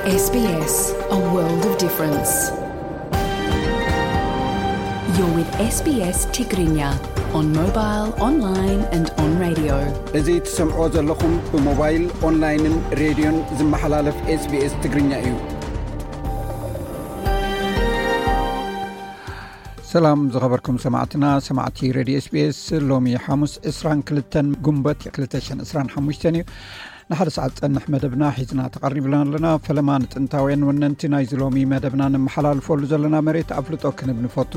S B S, a world of difference. You're with S B S Tigrinya on mobile, online and on radio. እዚ ትሰምዕዎ ዘለኹም ብሞባይል፣ ኦንላይንን ሬድዮን ዝመሓላለፍ S B S ትግርኛ እዩ። ሰላም ዝኸበርኩም ሰማዕትና፣ ሰማዕቲ ሬድዮ S B S፣ ሎሚ ሓሙስ ዕስራን ክልተን ጉንበት ክልተ ሽሕን ዕስራን ሓሙሽተን እዩ። ንሓደ ሰዓት ጸንሕ መደብና ሒዝና ተቐሪብና ኣለና። ፈለማ ንጥንታውያን ወነንቲ ናይዚ ሎሚ መደብና ነመሓላልፈሉ ዘለና መሬት ኣፍልጦ ክንብ ንፈቱ።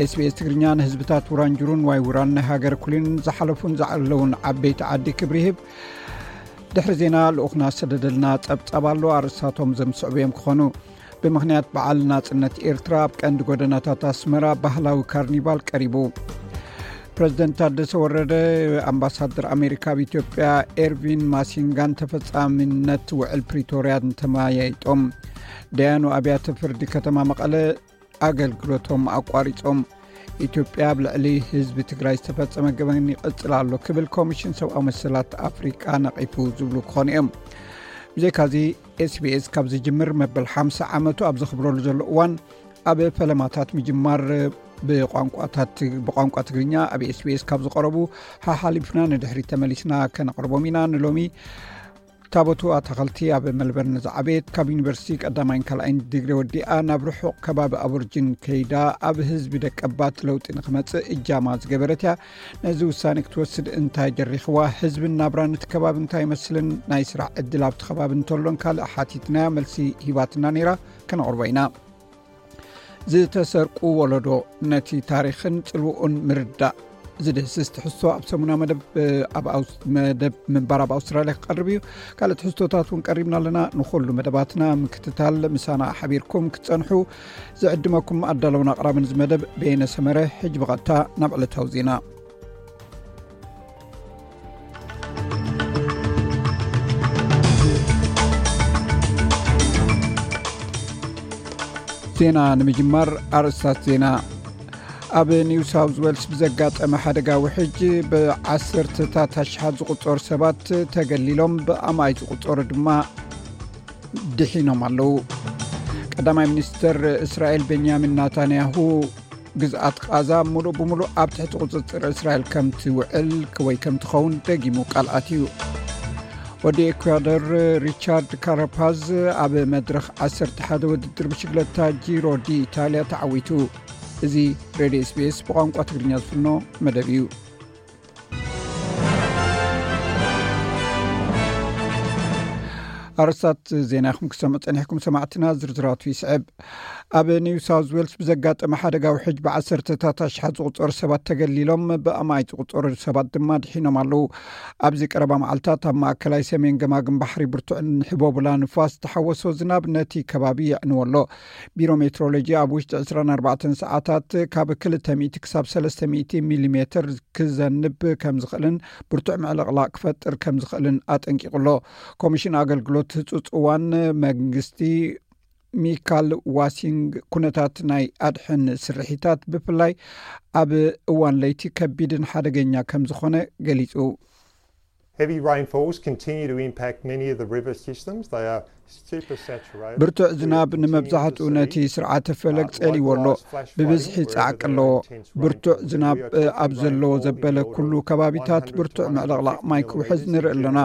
S B S ትግርኛ ንህዝብታት ውራንጅሩን ዋይ ውራን ናይ ሃገር ኩሊን ዝሓለፉን ዝዓለውን ዓበይቲ ዓዲ ክብሪ ይህብ። ድሕሪ ዜና ልኡኽና ዝሰደደልና ጸብጻብ ኣሎ። ኣርእስታቶም ዘምስዕቡ እዮም ክኾኑ። ብምኽንያት በዓል ናጽነት ኤርትራ ኣብ ቀንዲ ጎደናታት ኣስመራ ባህላዊ ካርኒቫል ቀሪቡ። ፕረዚደንት ታደሰ ወረደ ኣምባሳደር ኣሜሪካ ኣብ ኢትዮጵያ ኤርቪን ማሲንጋን ተፈጻሚነት ውዕል ፕሪቶርያን ተመያይጦም። ደያኑ ኣብያተ ፍርዲ ከተማ መቐለ ኣገልግሎቶም ኣቋሪጾም። ኢትዮጵያ ኣብ ልዕሊ ህዝቢ ትግራይ ዝተፈጸመ ገበን ይቕጽል ኣሎ ክብል ኮሚሽን ሰብኣዊ መሰላት ኣፍሪቃ ነቒፉ ዝብሉ ክኾኑ እዮም። ብዘይካዚ S B S ካብ ዝጅምር መበል ሓምሳ ዓመቱ ኣብ ዘኽብረሉ ዘሎ እዋን ኣብ ፈለማታት ምጅማር ብቋንቋታት ብቋንቋ ትግርኛ ኣብ S B S ካብ ዝቐረቡ ሓሓሊፍና ንድሕሪት ተመሊስና ከነቕርቦም ኢና። ንሎሚ ታቦቱ ኣታኸልቲ ኣብ መልበርን ዝዓበየት፣ ካብ ዩኒቨርሲቲ ቀዳማይን ካልኣይን ዲግሪ ወዲኣ ናብ ርሑቕ ከባቢ ኣቦርጅን ከይዳ ኣብ ህዝቢ ደቀባት ለውጢ ንክመጽእ እጃማ ዝገበረት እያ። ነዚ ውሳኔ ክትወስድ እንታይ ደሪኽዋ? ህዝብን ናብራን እቲ ከባቢ እንታይ ይመስልን? ናይ ስራሕ ዕድል ኣብቲ ከባቢ እንተሎን ካልእ ሓቲትናያ፣ መልሲ ሂባትና ነይራ። ከነቕርቦ ኢና። ዝተሰርቁ ወለዶ፣ ነቲ ታሪኽን ጽልውኡን ምርዳእ ዝድህስስ ትሕዝቶ ኣብ ሰሙና መደብ፣ ኣብ ኣውስ-፣ መደብ ምንባር ኣብ ኣውስትራልያ ክቐርብ እዩ። ካልእ ትሕዝቶታት እውን ቀሪብና ኣለና። ንኹሉ መደባትና ምክትታል ምሳና ሓቢርኩም ክትጸንሑ ዝዕድመኩም ኣዳለውን ኣቕራብን እዚ መደብ በየነ ሰመረ። ሕጂ ብቐጥታ ናብ ዕለታዊ ዜና። ዜና ንምጅማር ኣርእስታት ዜና። ኣብ ኒው ሳውዝ ዌልስ ብዘጋጠመ ሓደጋ ውሕጅ ብዓሰርተታት ኣሽሓት ዝቑጸሩ ሰባት ተገሊሎም፣ ብኣማይ ዝቑጸሩ ድማ ድሒኖም ኣለዉ። ቀዳማይ ሚኒስትር እስራኤል ቤንያሚን ናታንያሁ ግዝኣት ቃዛ ምሉእ ብምሉእ ኣብ ትሕቲ ቁጽጽር እስራኤል ከም ትውዕል ወይ ከም ትኸውን ደጊሙ ቃል ኣትዩ። ወዲ ኤኳዶር ሪቻርድ ካራፓዝ ኣብ መድረኽ ዓሰርተ ሓደ ውድድር ብሽግለታ ጂሮ ዲ ኢታልያ ተዓዊቱ። እዚ ሬድዮ S B S ብቋንቋ ትግርኛ ዝፍኖ መደብ እዩ። ኣርእስታት ዜና ኢኹም ክሰምዑ ጸኒሕኩም ሰማዕትና፣ ዝርዝራቱ ይስዕብ። ኣብ ኒው ሳውዝ ዌልስ ብዘጋጠመ ሓደጋ ውሕጅ ብዓሰርተታት ኣሽሓት ዝቑጸሩ ሰባት ተገሊሎም፣ ብኣማይ ዝቑጸሩ ሰባት ድማ ድሒኖም ኣለዉ። ኣብዚ ቀረባ መዓልታት ኣብ ማእከላይ ሰሜን ገማግም ባሕሪ ብርቱዕን ሕቦብላ ንፋስ ዝተሓወሶ ዝናብ ነቲ ከባቢ የዕንዎ ኣሎ። ቢሮ ሜትሮሎጂ ኣብ ውሽጢ ዕስራን ኣርባዕተን ሰዓታት ካብ ክልተ ሚእቲ ክሳብ ሰለስተ ሚእቲ ሚሊሜትር ክዘንብ ከም ዝኽእልን ብርቱዕ ምዕልቕላቕ ክፈጥር ከም ዝኽእልን ኣጠንቂቑ ኣሎ። ኮሚሽን ኣገልግሎት ህጹጽ እዋን መንግስቲ ሚካል ዋሲንግ ኩነታት ናይ ኣድሕን ስርሒታት ብፍላይ ኣብ እዋን ለይቲ ከቢድን ሓደገኛ ከም ዝኾነ ገሊጹ። Heavy rainfalls continue to impact many of the river systems. They are super saturated. ብርቱዕ ዝናብ ንመብዛሕትኡ ነቲ ስርዓተ ፈለግ ጸልይዎ ኣሎ። ብብዝሒ ጻዕቂ ኣለዎ። ብርቱዕ ዝናብ ኣብ ዘለዎ ዘበለ ኩሉ ከባቢታት ብርቱዕ ምዕልቕላቕ ማይ ክውሕዝ ንርኢ ኣለና።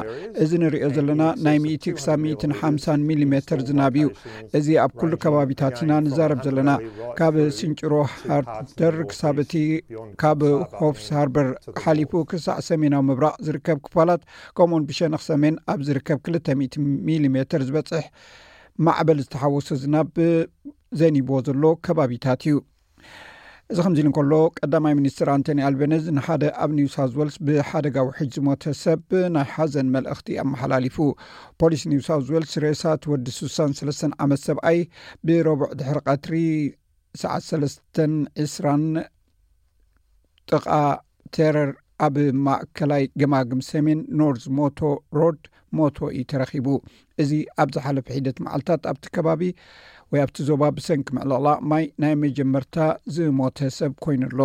እዚ ንሪኦ ዘለና ናይ ሚእቲ ክሳብ ሚእትን ሓምሳን ሚሊሜተር ዝናብ እዩ። እዚ ኣብ ኩሉ ከባቢታት ኢና ንዛረብ ዘለና። ካብ ስንጭሮ ሃርተር ክሳብ እቲ ካብ ሆፍስ ሃርበር ሓሊፉ ክሳዕ ሰሜናዊ ምብራቕ ዝርከብ ክፋላት፣ ከምኡውን ብሸነኽ ሰሜን ኣብ ዝርከብ ክልተ ሚእቲ ሚሊሜተር ዝበጽሕ ማዕበል ዝተሓወሶ ዝናብ ዘኒብዎ ዘሎ ከባቢታት እዩ። እዚ ከምዚ ኢሉ እንከሎ፣ ቀዳማይ ሚኒስትር ኣንቶኒ ኣልበነዝ ንሓደ ኣብ ኒው ሳውዝ ዌልስ ብሓደጋ ውሕጅ ዝሞተ ሰብ ናይ ሓዘን መልእኽቲ ኣመሓላሊፉ። ፖሊስ ኒው ሳውዝ ዌልስ ሬሳ እቲ ወዲ ስሳን ሰለስተን ዓመት ሰብኣይ ብረቡዕ ድሕሪ ቀትሪ ሰዓት ሰለስተን ዕስራን ጥቓ ቴረር ኣብ ማእከላይ ገማግም ሰሜን ኖርዝ ሞቶ ሮድ ሞቶ እዩ ተረኺቡ። እዚ ኣብ ዝሓለፈ ሒደት መዓልታት ኣብቲ ከባቢ ወይ ኣብቲ ዞባ ብሰንኪ ምዕልቕላቕ ማይ ናይ መጀመርታ ዝሞተ ሰብ ኮይኑ ኣሎ።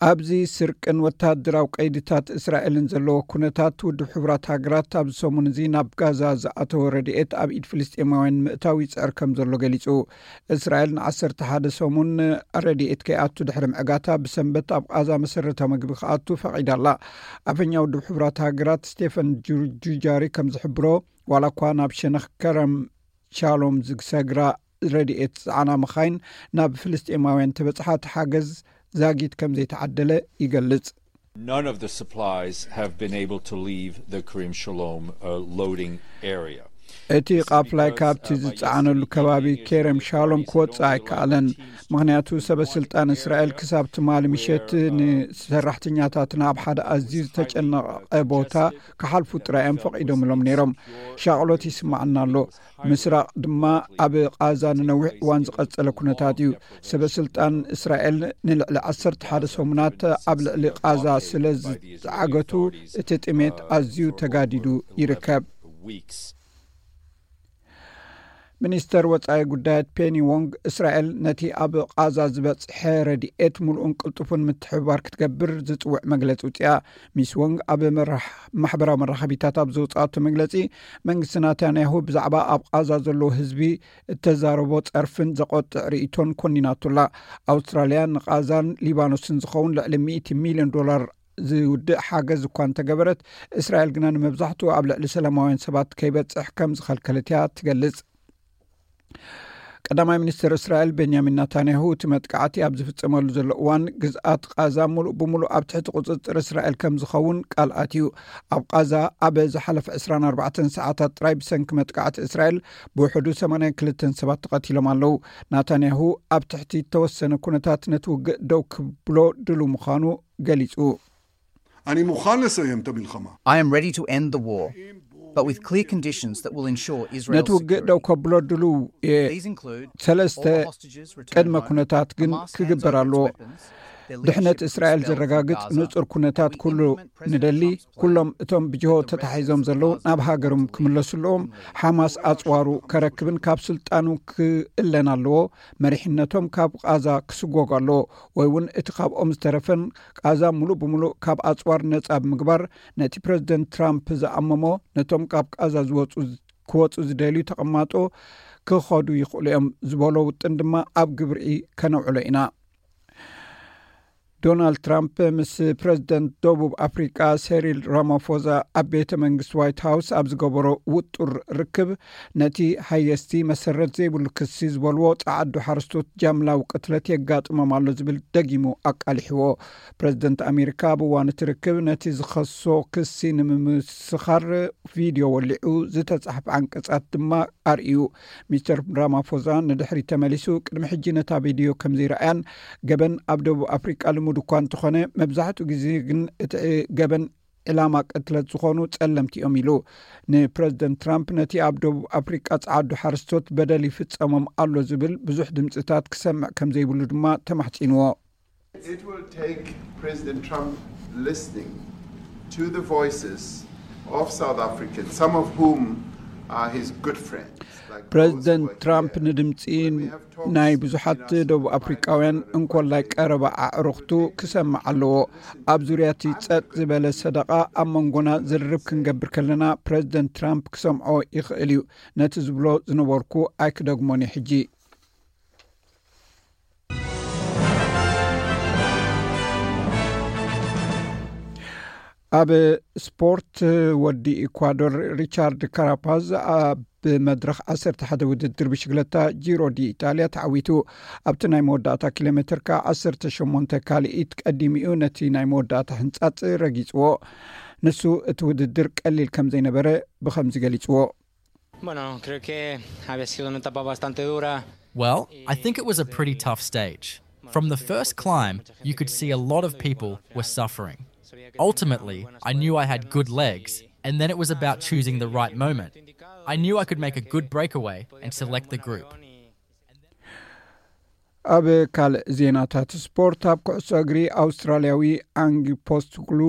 ኣብዚ ስርቅን ወታደራዊ ቀይድታት እስራኤልን ዘለዎ ኩነታት፣ ውድብ ሕቡራት ሃገራት ኣብዚ ሰሙን እዚ ናብ ጋዛ ዝኣተወ ረድኤት ኣብ ኢድ ፍልስጤማውያን ምእታው ይጽዕር ከም ዘሎ ገሊጹ። እስራኤል ንዓሰርተ ሓደ ሰሙን ረድኤት ከይኣቱ ድሕሪ ምዕጋታ፣ ብሰንበት ኣብ ቃዛ መሰረታዊ ምግቢ ክኣቱ ፈቒዳ ኣላ። ኣፈኛ ውድብ ሕቡራት ሃገራት ስቴፈን ጁ- ጁጃሪ ከም ዝሕብሮ፣ ዋላ እኳ ናብ ሸነኽ ከረም ሻሎም ዝሰግራ ረድኤት ዝጸዓና መኻይን ናብ ፍልስጤማውያን ተበጽሓ፣ እቲ ሓገዝ ዛጊት ከም ዘይተዓደለ ይገልጽ። None of the supplies have been able to leave the Karim Shalom uh, loading area. እቲ ቃፍላይ ካብቲ ዝጸዓነሉ ከባቢ ኬረም ሻሎም ክወጽእ ኣይከኣለን። ምኽንያቱ ሰበ ስልጣን እስራኤል ክሳብ ትማሊ ምሸት ንሰራሕተኛታትና ኣብ ሓደ ኣዝዩ ዝተጨነቐ ቦታ ክሓልፉ ጥራይ እዮም ፈቒዶምሎም ነይሮም። ሻቕሎት ይስማዓና ኣሎ። ምስራቕ ድማ ኣብ ቃዛ ንነዊሕ እዋን ዝቐጸለ ኩነታት እዩ። ሰበ ስልጣን እስራኤል ንልዕሊ ዓሰርተ ሓደ ሰሙናት ኣብ ልዕሊ ቃዛ ስለ ዝዓገቱ፣ እቲ ጥሜት ኣዝዩ ተጋዲዱ ይርከብ። ሚኒስተር ወጻኢ ጉዳያት ፔኒ ዎንግ፣ እስራኤል ነቲ ኣብ ቃዛ ዝበጽሐ ረድኤት ምሉእን ቅልጡፍን ምትሕብባር ክትገብር ዝጽውዕ መግለጺ ውጽኣ። ሚስ ዎንግ ኣብ መራሕ- ማሕበራዊ መራኸቢታት ኣብ ዘውጽኣቶ መግለጺ፣ መንግስቲ ናታንያሁ ብዛዕባ ኣብ ቃዛ ዘለዎ ህዝቢ እተዛረቦ ጸርፍን ዘቆጥዕ ርእይቶን ኮኒናቱላ። ኣውስትራልያ ንቃዛን ሊባኖስን ዝኸውን ልዕሊ ሚእቲ ሚልዮን ዶላር ዝውድእ ሓገዝ እኳ እንተገበረት፣ እስራኤል ግና ንመብዛሕትኡ ኣብ ልዕሊ ሰላማውያን ሰባት ከይበጽሕ ከም ዝኸልከለት እያ ትገልጽ። ቀዳማይ ሚኒስትር እስራኤል ቤንያሚን ናታንያሁ፣ እቲ መጥቃዕቲ ኣብ ዝፍጸመሉ ዘሎ እዋን፣ ግዝኣት ቃዛ ሙሉእ ብሙሉእ ኣብ ትሕቲ ቁጽጽር እስራኤል ከም ዝኸውን ቃል ኣትዩ። ኣብ ቃዛ ኣብ ዝሓለፈ ዕስራን ኣርባዕተን ሰዓታት ጥራይ ብሰንኪ መጥቃዕቲ እስራኤል ብውሕዱ ሰማንያን ክልተን ሰባት ተቐቲሎም ኣለዉ። ናታንያሁ ኣብ ትሕቲ እተወሰነ ኩነታት ነቲ ውግእ ደው ክብሎ ድሉ ምዃኑ ገሊጹ። אני מוכן לסיים את המלחמה. I am ready to end the war, but with clear conditions that will ensure Israel's ነቲ ውግእ ደው security. ከብሎ ድሉው እየ። These include ሰለስተ all the hostages returned ቅድመ home, ኩነታት ግን Hamas hands ክግበር over its ኣለዎ። weapons, their ድሕነት leadership እስራኤል expelled from ዘረጋግጽ Gaza, ንጹር ኩነታት and we ኩሉ implement President ንደሊ። Trump's plan ኩሎም እቶም ብጅሆ to wrest ተታሒዞም Hamas ዘለዉ ናብ ሃገሮም ክምለሱ ኣለዎም። ሓማስ ኣጽዋሩ ከረክብን ካብ ስልጣኑ ክእለን ኣለዎ። መሪሕነቶም ካብ ቃዛ ክስጎግ ኣለዎ፣ ወይ እውን እቲ ካብኦም ዝተረፈን ቃዛ ሙሉእ ብሙሉእ ካብ ኣጽዋር ነጻ ብምግባር፣ ነቲ ፕረዚደንት ትራምፕ ዝኣመሞ፣ ነቶም ካብ ቃዛ ዝወጹ ክወጹ ዝደልዩ ተቐማጦ ክኸዱ ይኽእሉ እዮም ዝበሎ ውጥን ድማ ኣብ ግብሪ ከነውዕሎ ኢና። ዶናልድ ትራምፕ ምስ ፕረዚደንት ደቡብ ኣፍሪቃ ሴሪል ራማፎዛ ኣብ ቤተ መንግስቲ ዋይት ሃውስ ኣብ ዝገበሮ ውጡር ርክብ፣ ነቲ ሃየስቲ መሰረት ዘይብሉ ክሲ ዝበልዎ ጸዓዱ ሓረስቶት ጃምላዊ ቅትለት የጋጥሞም ኣሎ ዝብል ደጊሙ ኣቃሊሕዎ። ፕረዚደንት ኣሜሪካ ኣብ እዋን እቲ ርክብ ነቲ ዝኸሶ ክሲ ንምምስኻር ቪድዮ ወሊዑ ዝተጻሕፈ ዓንቀጻት ድማ ኣርእዩ። ሚስተር ራማፎዛ ንድሕሪት ተመሊሱ፣ ቅድሚ ሕጂ ነታ ቪድዮ ከም ዘይረኣያን፣ ገበን ኣብ ደቡብ ኣፍሪቃ ልሙድ እኳ እንተኾነ፣ መብዛሕትኡ ግዜ ግን እቲ ገበን ዕላማ ቅትለት ዝኾኑ ጸለምቲ እዮም ኢሉ። ንፕረዚደንት ትራምፕ ነቲ ኣብ ደቡብ ኣፍሪቃ ጸዓዱ ሓረስቶት በደል ይፍጸሞም ኣሎ ዝብል ብዙሕ ድምጽታት ክሰምዕ ከም ዘይብሉ ድማ ተማሕጺንዎ። It will take President Trump listening to the voices of South Africans, some of whom are his good friends. Like those who ፕረዚደንት are ትራምፕ here. ንድምፂ ናይ ብዙሓት ደቡብ ኣፍሪቃውያን እንኮላይ ቀረባ ኣዕሩኽቱ ክሰምዕ ኣለዎ። ኣብ ዙርያ እቲ ጸጥ ዝበለ ሰደቓ ኣብ መንጎና ዝርርብ ክንገብር ከለና፣ ፕረዚደንት ትራምፕ ክሰምዖ ይኽእል እዩ። ነቲ ዝብሎ ዝነበርኩ ኣይክደግሞን እዩ ሕጂ። ኣብ ስፖርት፣ ወዲ ኢኳዶር ሪቻርድ ካራፓዝ ኣብ መድረኽ ዓሰርተ ሓደ ውድድር ብሽግለታ ጂሮ ዲ ኢጣልያ ተዓዊቱ። ኣብቲ ናይ መወዳእታ ኪሎ ሜትር ከኣ ዓሰርተ ሸሞንተ ካልኢት ቀዲሙ እዩ ነቲ ናይ መወዳእታ ህንጻጽ ረጊጽዎ። ንሱ እቲ ውድድር ቀሊል ከም ዘይነበረ ብኸምዚ ገሊጽዎ። Bueno, creo que había sido una etapa bastante dura. Well, I think it was a pretty tough stage. From the first climb, you could see a lot of people were suffering. Ultimately, I knew I had good legs, and then it was about choosing the right moment. I knew I could make a good breakaway and select the group. ኣብ ካልእ ዜናታት ስፖርት፣ ኣብ ኩዕሶ እግሪ ኣውስትራልያዊ ኣንጊ ፖስትግሉ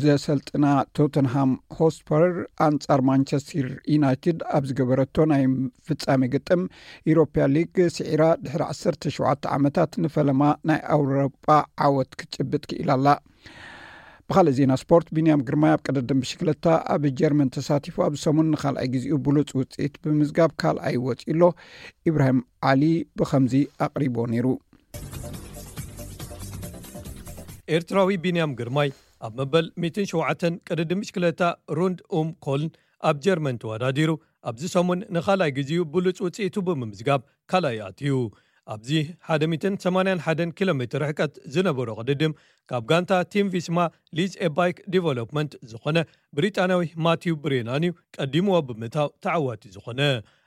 ዘሰልጥና ቶተንሃም ሆስፐር ኣንጻር ማንቸስተር ዩናይትድ ኣብ ዝገበረቶ ናይ ፍጻሜ ግጥም ኢሮፓ ሊግ ስዒራ ድሕሪ ዓሰርተ ሸውዓተ ዓመታት ንፈለማ ናይ ኣውሮጳ ዓወት ክትጭብጥ ክኢላ ኣላ። ብኻልእ ዜና ስፖርት፣ ቢንያም ግርማይ ኣብ ቅድድም ብሽክለታ ኣብ ጀርመን ተሳቲፉ ኣብ ሰሙን ንኻልኣይ ግዜኡ ብሉጽ ውጽኢት ብምዝጋብ ካልኣይ ወጺኡ ኣሎ። ኢብራሂም ዓሊ ብኸምዚ ኣቕሪቦ ነይሩ። ኤርትራዊ ቢንያም ግርማይ ኣብ መበል ሚእትን ሸውዓተን ቅድድም ብሽክለታ ሩንድ ኡም ኮልን ኣብ ጀርመን ተወዳዲሩ ኣብዚ ሰሙን ንኻልኣይ ግዜኡ ብሉጽ ውጽኢቱ ብምምዝጋብ ካልኣይ ኣትዩ። ኣብዚ ሓደ ሚእትን ሰማንያን ሓደን ኪሎ ሜትር ርሕቀት ዝነበሮ ቅድድም ካብ ጋንታ ቲም ቪስማ ሊዝ ኤባይክ ዲቨሎፕመንት ዝኾነ ብሪጣንያዊ ማቲው ብሬናን እዩ ቀዲምዎ ብምእታው ተዓዋቲ ዝኾነ።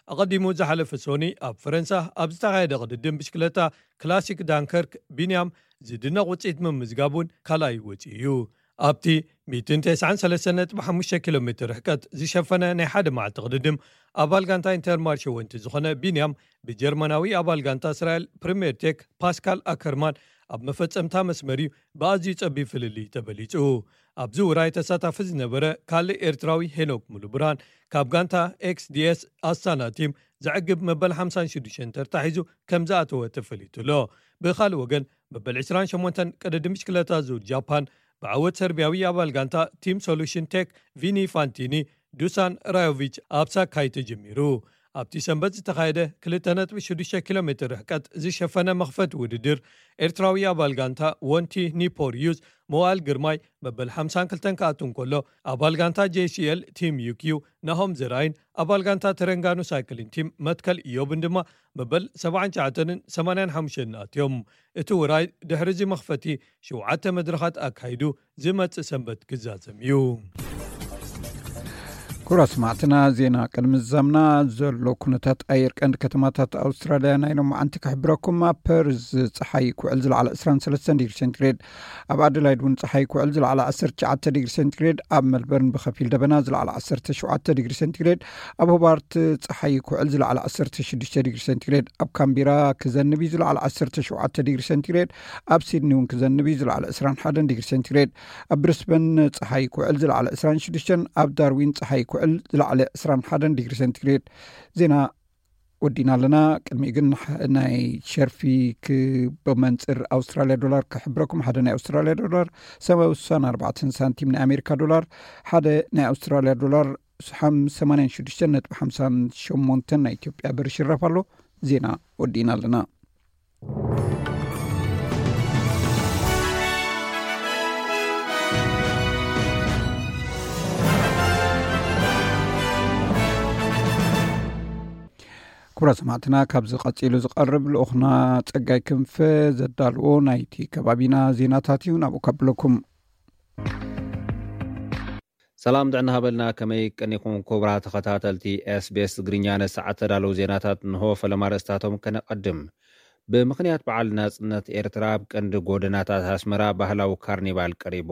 ኣቐዲሙ ዝሓለፈ ሶኒ ኣብ ፈረንሳ ኣብ ዝተኻየደ ቅድድም ብሽክለታ ክላሲክ ዳንከርክ ቢንያም ዝድነቕ ውፅኢት ምምዝጋብ እውን ካልኣይ ወፂኡ እዩ። ኣብቲ ሚእትን ተስዓን ሰለስተን ነጥቢ ሓሙሽተ ኪሎ ሜትር ርሕቀት ዝሸፈነ ናይ ሓደ መዓልቲ ቅድድም ኣባል ጋንታ ኢንተርማርሸ ወንቲ ዝኾነ ቢንያም ብጀርመናዊ ኣባል ጋንታ እስራኤል ፕሪምየር ቴክ ፓስካል ኣከርማን ኣብ መፈጸምታ መስመር እዩ ብኣዝዩ ጸቢብ ፍልልይ ተበሊጹ። ኣብዚ ውራይ ተሳታፊ ዝነበረ ካልእ ኤርትራዊ ሄኖክ ሙሉብርሃን ካብ ጋንታ ኤክስዲኤስ ኣስታና ቲም ዘዕግብ መበል ሓምሳን ሽዱሽተን ተርታ ሒዙ ከም ዝኣተወ ተፈሊጡ ኣሎ። ብኻልእ ወገን መበል ዕስራን ሸሞንተን ቅድድም ብሽክለታ ዙር ጃፓን ብዓወት ሰርቢያዊ ኣባል ጋንታ ቲም ሶሉሽን ቴክ ቪኒ ፋንቲኒ ዱሳን ራዮቪች ኣብ ሳካይ ተጀሚሩ። ኣብቲ ሰንበት ዝተኻየደ ክልተ ነጥቢ ሽዱሽተ ኪሎ ሜትር ርሕቀት ዝሸፈነ መኽፈቲ ውድድር ኤርትራዊ ኣባል ጋንታ ወንቲ ኒፖር ዩዝ መዋል ግርማይ መበል ሓምሳን ክልተን ክኣቱ እንከሎ ኣባል ጋንታ ጄሲኤል ቲም ዩኪዩ ናሆም ዘርኣይን ኣባል ጋንታ ተረንጋኑ ሳይክሊን ቲም መትከል ኢዮብን ድማ መበል ሰብዓን ትሽዓተንን ሰማንያን ሓሙሽተን ኣትዮም። እቲ ውራይ ድሕሪ እዚ መኽፈቲ ሸውዓተ መድረኻት ኣካይዱ ዝመጽእ ሰንበት ክዛዘም እዩ። ኩራ ሰማዕትና፣ ዜና ቅድሚ ዝዛምና ዘሎ ኩነታት ኣየር ቀንዲ ከተማታት ኣውስትራልያ ናይ ሎማዓንቲ ክሕብረኩም። ኣብ ፐርዝ ጸሓይ ክውዕል ዝለዓለ ዕስራን ሰለስተን ዲግሪ ሴንቲግሬድ፣ ኣብ ኣደላይድ እውን ጸሓይ ክውዕል ዝለዓለ ዓሰርተ ትሽዓተ ዲግሪ ሴንቲግሬድ፣ ኣብ መልበርን ብኸፊል ደበና ዝለዓለ ዓሰርተ ሸውዓተ ዲግሪ ሴንቲግሬድ፣ ኣብ ሆባርት ጸሓይ ክውዕል ዝለዓለ ዓሰርተ ሽዱሽተ ዲግሪ ሴንቲግሬድ፣ ኣብ ካምቢራ ክዘንብ እዩ ዝለዓለ ዓሰርተ ሸውዓተ ዲግሪ ሴንቲግሬድ፣ ኣብ ሲድኒ እውን ክዘንብ እዩ ዝለዓለ ዕስራን ሓደን ዲግሪ ሴንቲግሬድ፣ ኣብ ብሪስበን ጸሓይ ክውዕል ዝለዓለ ዕስራን ሽዱሽተን፣ ኣብ ዳርዊን ጸሓይ ክውዕል ዝለዓለ ዕስራን ሓደን ዲግሪ ሴንቲግሬድ። ዜና ወዲና ኣለና። ቅድሚኡ ግን ሕ-፣ ናይ ሸርፊ ክ-፣ ብመንጽር ኣውስትራልያ ዶላር ክሕብረኩም። ሓደ ናይ ኣውስትራልያ ዶላር ሰማንያን ኣርባዕተን ሳንቲም፣ ናይ ኣሜሪካ ዶላር ሓደ ናይ ኣውስትራልያ ዶላር ሓም-፣ ሰማንያን ሽዱሽተን ነጥቢ ሓምሳን ሸሞንተን ናይ ኢትዮጵያ ብር ይሽረፍ ኣሎ። ዜና ወዲና ኣለና። ክቡራት ሰማዕትና፣ ካብዚ ቀጺሉ ዝቐርብ ልኡኽና ጸጋይ ክንፈ ዘዳልዎ ናይቲ ከባቢና ዜናታት እዩ። ናብኡ ከብለኩም። ሰላም ጥዕና ሃበልና፣ ከመይ ቀኒኹም ክቡራት ተኸታተልቲ ኤስቢኤስ ትግርኛ? ነሰዓት ተዳለዉ ዜናታት እንሆ፣ ፈለማ ርእስታቶም ከነቐድም። ብምኽንያት በዓል ናጽነት ኤርትራ ኣብ ቀንዲ ጎደናታት ኣስመራ ባህላዊ ካርኒቫል ቀሪቡ።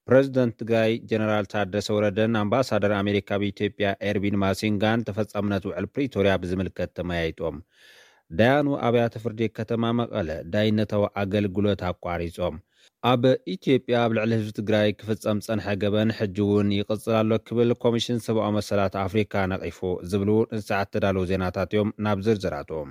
ፕረዚደንት ትግራይ ጀነራል ታደሰ ወረደን ኣምባሳደር ኣሜሪካ ኣብ ኢትዮጵያ ኤርቪን ማሲንጋን ተፈጻምነት ውዕል ፕሪቶርያ ብዝምልከት ተመያይጦም። ዳያኑ ኣብያተ ፍርዲ ከተማ መቐለ ዳይነታዊ ኣገልግሎት ኣቋሪጾም። ኣብ ኢትዮጵያ ኣብ ልዕሊ ህዝቢ ትግራይ ክፍጸም ጸንሐ ገበን ሕጂ እውን ይቕጽል ኣሎ ክብል ኮሚሽን ሰብኣዊ መሰላት ኣፍሪካ ነቒፉ ዝብሉ ንሰዓት ተዳለዉ ዜናታት እዮም። ናብ ዝርዝራቶም።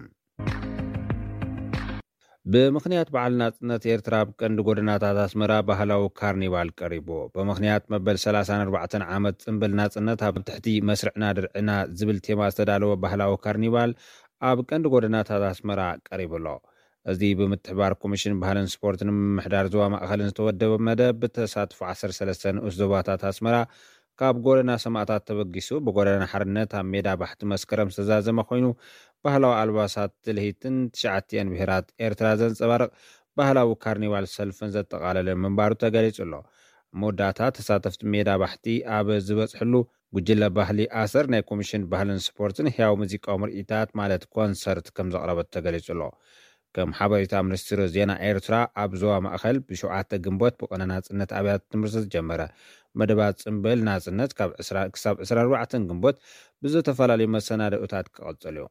ብምኽንያት በዓል ናጽነት ኤርትራ ኣብ ቀንዲ ጎደናታት ኣስመራ ባህላዊ ካርኒቫል ቀሪቡ። ብምኽንያት መበል ሰላሳን ኣርባዕተን ዓመት ጽምብል ናጽነት ኣብ ትሕቲ መስርዕና ድርዕና ዝብል ቴማ ዝተዳለወ ባህላዊ ካርኒቫል ኣብ ቀንዲ ጎደናታት ኣስመራ ቀሪቡ ኣሎ። እዚ ብምትሕባር ኮሚሽን ባህልን ስፖርትን ምምሕዳር ዞባ ማእኸልን ዝተወደበ መደብ ብተሳትፎ ዓሰርተ ሰለስተ ንኡስ ዞባታት ኣስመራ ካብ ጎደና ሰማእታት ተበጊሱ ብጎደና ሓርነት ኣብ ሜዳ ባሕቲ መስከረም ዝተዛዘመ ኮይኑ፣ ባህላዊ ኣልባሳት ትልሂትን ትሽዓቲኣን ብሄራት ኤርትራ ዘንጸባርቕ ባህላዊ ካርኒቫል ሰልፍን ዘጠቓለለ ምንባሩ ተገሊጹ ኣሎ። ኣብ መወዳእታ ተሳተፍቲ ሜዳ ባሕቲ ኣብ ዝበጽሕሉ፣ ጉጅለ ባህሊ ኣሰር ናይ ኮሚሽን ባህልን ስፖርትን ህያው ሙዚቃዊ ምርኢታት ማለት ኮንሰርት ከም ዘቕረበት ተገሊጹ ኣሎ። ከም ሓበሬታ ሚኒስትሪ ዜና ኤርትራ፣ ኣብ ዞባ ማእኸል ብሸውዓተ ግንቦት ብቕነ ናጽነት ኣብያተ ትምህርቲ ዝጀመረ መደባት ጽምብል ናጽነት ካብ ዕስራ ክሳብ ዕስራን ኣርባዕተን ግንቦት ብዝተፈላለዩ መሰናድኦታት ክቕጽል እዩ።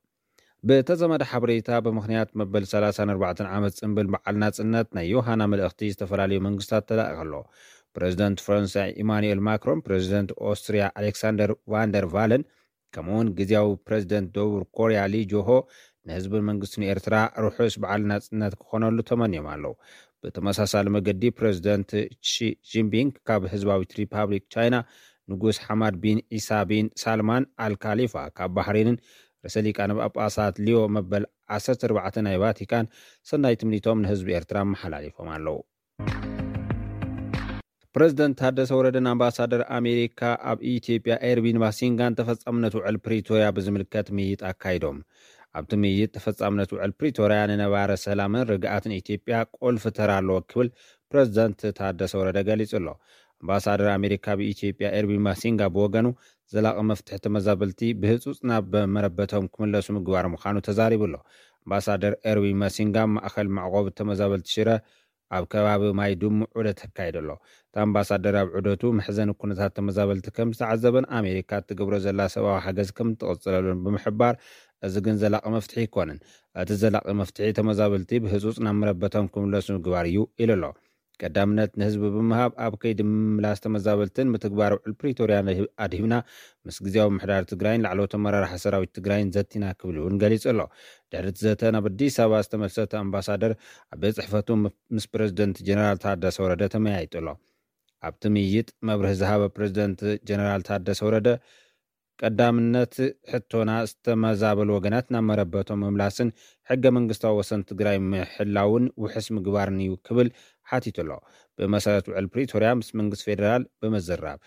ብተዘመደ ሓበሬታ፣ ብምኽንያት መበል ሰላሳን ኣርባዕተን ዓመት ጽንብል በዓል ናጽነት ናይ ዮሃና መልእኽቲ ዝተፈላለዩ መንግስታት ተላኢኹ ኣሎ። ፕረዚደንት ፈረንሳይ ኢማኑኤል ማክሮን፣ ፕረዚደንት ኦስትሪያ ኣሌክሳንደር ቫንደር ቫለን፣ ከምኡውን ግዜያዊ ፕረዚደንት ደቡብ ኮርያ ሊ ጆሆ ንህዝብን መንግስትን ኤርትራ ርሑስ በዓል ናጽነት ክኾነሉ ተመንዮም ኣለዉ። ብተመሳሳሊ መገዲ፣ ፕረዚደንት ሺ ጂንፒንግ ካብ ህዝባዊት ሪፓብሊክ ቻይና፣ ንጉስ ሓማድ ቢን ኢሳ ቢን ሳልማን ኣልካሊፋ ካብ ባህሬንን ርእሰ ሊቃነ ጳጳሳት ሊዮ መበል ዓሰርተ ኣርባዕተ ናይ ቫቲካን ሰናይ ትምኒቶም ንህዝቢ ኤርትራ ኣመሓላሊፎም ኣለዉ። ፕረዚደንት ታደሰ ወረደን ኣምባሳደር ኣሜሪካ ኣብ ኢትዮጵያ ኤርቪን ማሲንጋን ተፈጻምነት ውዕል ፕሪቶርያ ብዝምልከት ምይይጥ ኣካይዶም። ኣብቲ ምይይጥ፣ ተፈጻምነት ውዕል ፕሪቶርያ ንነባረ ሰላምን ርግኣትን ኢትዮጵያ ቁልፊ ተራ ኣለዎ ክብል ፕረዚደንት ታደሰ ወረደ ገሊጹ ኣሎ። ኣምባሳደር ኣሜሪካ ኣብ ኢትዮጵያ ኤርቪን ማሲንጋ ብወገኑ፣ ዘላቒ መፍትሒ ተመዛበልቲ ብህጹጽ ናብ መረበቶም ክምለሱ ምግባር ምዃኑ ተዛሪቡ ኣሎ። ኣምባሳደር ኤርቪን ማሲንጋ ኣብ ማእከል መዕቆቢ ተመዛበልቲ ሽረ ኣብ ከባቢ ማይ ድሙ ዑደት ኣካይዱ ኣሎ። እቲ ኣምባሳደር ኣብ ዑደቱ፣ መሕዘኒ ኩነታት ተመዛበልቲ ከም ዝተዓዘበን ኣሜሪካ እትገብሮ ዘላ ሰብኣዊ ሓገዝ ከም እትቕጽለሉን ብምሕባር፣ እዚ ግን ዘላቒ መፍትሒ ኣይኮነን። እቲ ዘላቒ መፍትሒ ተመዛበልቲ ብህጹጽ ናብ መረበቶም ክምለሱ ምግባር እዩ ኢሉ ኣሎ። ቀዳምነት ንህዝቢ ብምሃብ፣ ኣብ ከይዲ ምምላስ ተመዛበልትን ምትግባር ውዕል ፕሪቶርያ ኣድሂብና፣ ምስ ግዜያዊ ምምሕዳር ትግራይን ላዕለዎት ኣመራርሓ ሰራዊት ትግራይን ዘቲና ክብል እውን ገሊጹ ኣሎ። ድሕሪ እቲ ዘተ ናብ ኣዲስ ኣበባ ዝተመልሰ እቲ ኣምባሳደር፣ ኣብ ቤት ጽሕፈቱ ምስ ፕረዚደንት ጀነራል ታደሰ ወረደ ተመያይጡ ኣሎ። ኣብቲ ምይይጥ መብርሂ ዝሃበ ፕረዚደንት ጀነራል ታደሰ ወረደ፣ ቀዳምነት ሕቶና ዝተመዛበሉ ወገናት ናብ መረበቶም ምምላስን ሕገ መንግስታዊ ወሰን ትግራይ ምሕላውን ውሕስ ምግባርን እዩ ክብል ሓቲቱ ኣሎ። ብመሰረት ውዕል ፕሪቶርያ ምስ መንግስቲ ፌደራል ብምዝራብ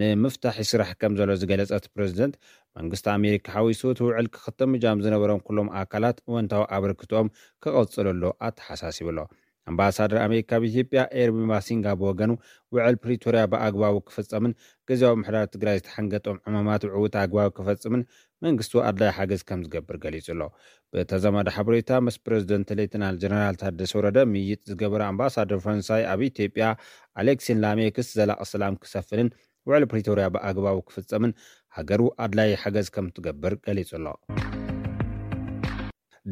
ንምፍታሕ ይስራሕ ከም ዘሎ ዝገለጸ እቲ ፕረዚደንት፣ መንግስቲ ኣሜሪካ ሓዊሱ እቲ ውዕል ክኽተም እጃም ዝነበሮም ኩሎም ኣካላት እወንታዊ ኣበርክቶኦም ክቐጽሉ ኣሎ ኣተሓሳሲቡ ኣሎ። ኣምባሳደር ኣሜሪካ ኣብ ኢትዮጵያ ኤርቪን ማሲንጋ ብወገኑ፣ ውዕል ፕሪቶርያ ብኣግባቡ ክፍጸምን ግዜያዊ ምምሕዳር ትግራይ ዝተሓንገጦም ዕማማት ብዕዉት ኣግባብ ክፈጽምን መንግስቱ ኣድላይ ሓገዝ ከም ዝገብር ገሊጹ ኣሎ። ብተዛማዲ ሓበሬታ፣ ምስ ፕረዚደንት ሌተናል ጀነራል ታደሰ ወረደ ምይይጥ ዝገበረ ኣምባሳደር ፈረንሳይ ኣብ ኢትዮጵያ ኣሌክሲን ላሜክስ፣ ዘላቒ ሰላም ክሰፍንን ውዕል ፕሪቶርያ ብኣግባቡ ክፍጸምን ሃገሩ ኣድላይ ሓገዝ ከም ትገብር ገሊጹ ኣሎ።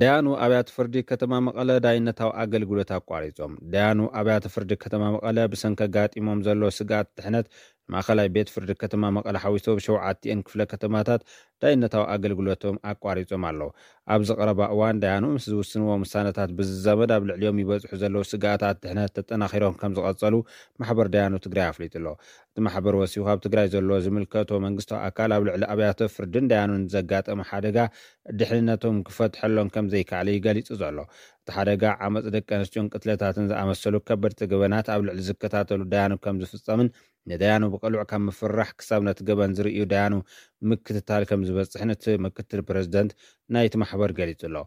ደያኑ ኣብያተ ፍርዲ ከተማ መቐለ ዳይነታዊ ኣገልግሎት ኣቋሪጾም። ደያኑ ኣብያተ ፍርዲ ከተማ መቐለ ብሰንኪ ኣጋጢሞም ዘሎ ስግኣት ድሕነት፣ ማእኸላይ ቤት ፍርዲ ከተማ መቐለ ሓዊሱ ኣብ ሸውዓቲኤን ክፍለ ከተማታት ዳይነታዊ ኣገልግሎቶም ኣቋሪጾም ኣለዉ። ኣብዚ ቀረባ እዋን፣ ደያኑ ምስ ዝውስንዎም ውሳነታት ብዝዛመድ፣ ኣብ ልዕሊኦም ይበጽሑ ዘለዉ ስግኣታት ድሕነት ተጠናኺሮም ከም ዝቐጸሉ ማሕበር ደያኑ ትግራይ ኣፍሊጡ ኣሎ። እቲ ማሕበር ወሲኹ፣ ኣብ ትግራይ ዘሎ ዝምልከቶ መንግስታዊ ኣካል ኣብ ልዕሊ ኣብያተ ፍርድን ደያኑን ዘጋጠመ ሓደጋ ድሕንነቶም ክፈትሐሎም ከም ዘይከኣለ እዩ ገሊጹ ዘሎ። እቲ ሓደጋ፣ ዓመጽ ደቂ ኣንስትዮን ቅትለታትን ዝኣመሰሉ ከበድቲ ገበናት ኣብ ልዕሊ ዝከታተሉ ደያኑ ከም ዝፍጸምን፣ ንደያኑ ብቕሉዕ ካብ ምፍርራሕ ክሳብ ነቲ ገበን ዝርእዩ ደያኑ ምክትታል ከም ዝበጽሕን እቲ ምክትል ፕረዚደንት ናይቲ ማሕበር ገሊጹ ኣሎ።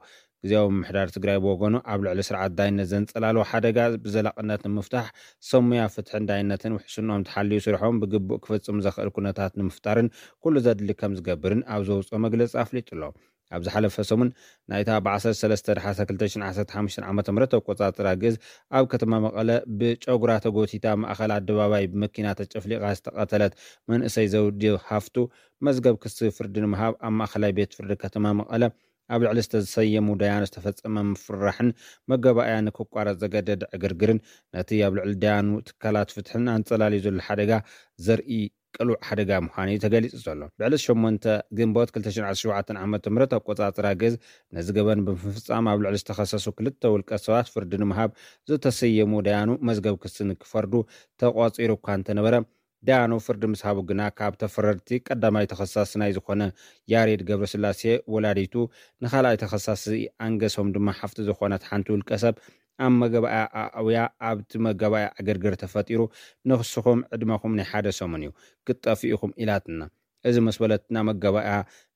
ግዜያዊ ምምሕዳር ትግራይ ብወገኑ፣ ኣብ ልዕሊ ስርዓት ዳይነት ዘንጸላልዎ ሓደጋ ብዘላቕነት ንምፍታሕ፣ ሰብ ሞያ ፍትሕን ዳይነትን ውሕስንኦም ተሓልዩ ስርሖም ብግቡእ ክፍጽሙ ዘኽእል ኩነታት ንምፍጣርን ኩሉ ዘድሊ ከም ዝገብርን ኣብ ዘውጽኦ መግለጺ ኣፍሊጡ ኣሎ። ኣብ ዝሓለፈ ሰሙን፣ ናይታ ብ ዓሰርተ ሰለስተ ዳሓሰ ክልተ ሽሕን ዓሰርተ ሓሙሽተን ዓመተ ምህረት ኣቆጻጽራ ግእዝ፣ ኣብ ከተማ መቐለ ብጨጉራ ተጎቲታ፣ ማእከል ኣደባባይ ብመኪና ተጨፍሊቓ ዝተቐተለት መንእሰይ ዘውዲ ሃፍቱ፣ መዝገብ ክሲ ፍርዲ ንምሃብ ኣብ ማእከላይ ቤት ፍርዲ ከተማ መቐለ ኣብ ልዕሊ ዝተሰየሙ ደያኑ ዝተፈጸመ ምፍርራሕን መገባእያ ንክቋረጽ ዘገደደ ዕግርግርን፣ ነቲ ኣብ ልዕሊ ደያኑ ትካላት ፍትሕን ኣንጸላልዩ ዘሎ ሓደጋ ዘርኢ ቅሉዕ ሓደጋ ምዃኑ እዩ ተገሊጹ ዘሎ። ብዕለት ሸሞንተ ግንቦት ክልተ ሽሕን ዓሰርተ ሸውዓተን ዓመተ ምህረት ኣቆጻጽራ ግእዝ፣ ነዚ ገበን ብምፍጻም ኣብ ልዕሊ ዝተኸሰሱ ክልተ ውልቀ ሰባት ፍርዲ ንምሃብ ዝተሰየሙ ደያኑ መዝገብ ክሲ ንክፈርዱ ተቋጺሩ እኳ እንተነበረ፣ ደያኑ ፍርዲ ምስ ሃቡ ግና፣ ካብ ተፈረድቲ ቀዳማይ ተኸሳሲ ናይ ዝኾነ ያሬድ ገብረስላሴ ወላዲቱ፣ ንኻልኣይ ተኸሳሲ ኣንገሶም ድማ ሓፍቲ ዝኾነት ሓንቲ ውልቀ ሰብ ኣብ መገባእያ ኣእውያ፣ ኣብቲ መገባእያ ዕግርግር ተፈጢሩ፣ ንስኹም ዕድመኹም ናይ ሓደ ሰሙን እዩ፣ ክትጠፍኡ ኢኹም ኢላትና። እዚ ምስ በለትና፣ መገባእያ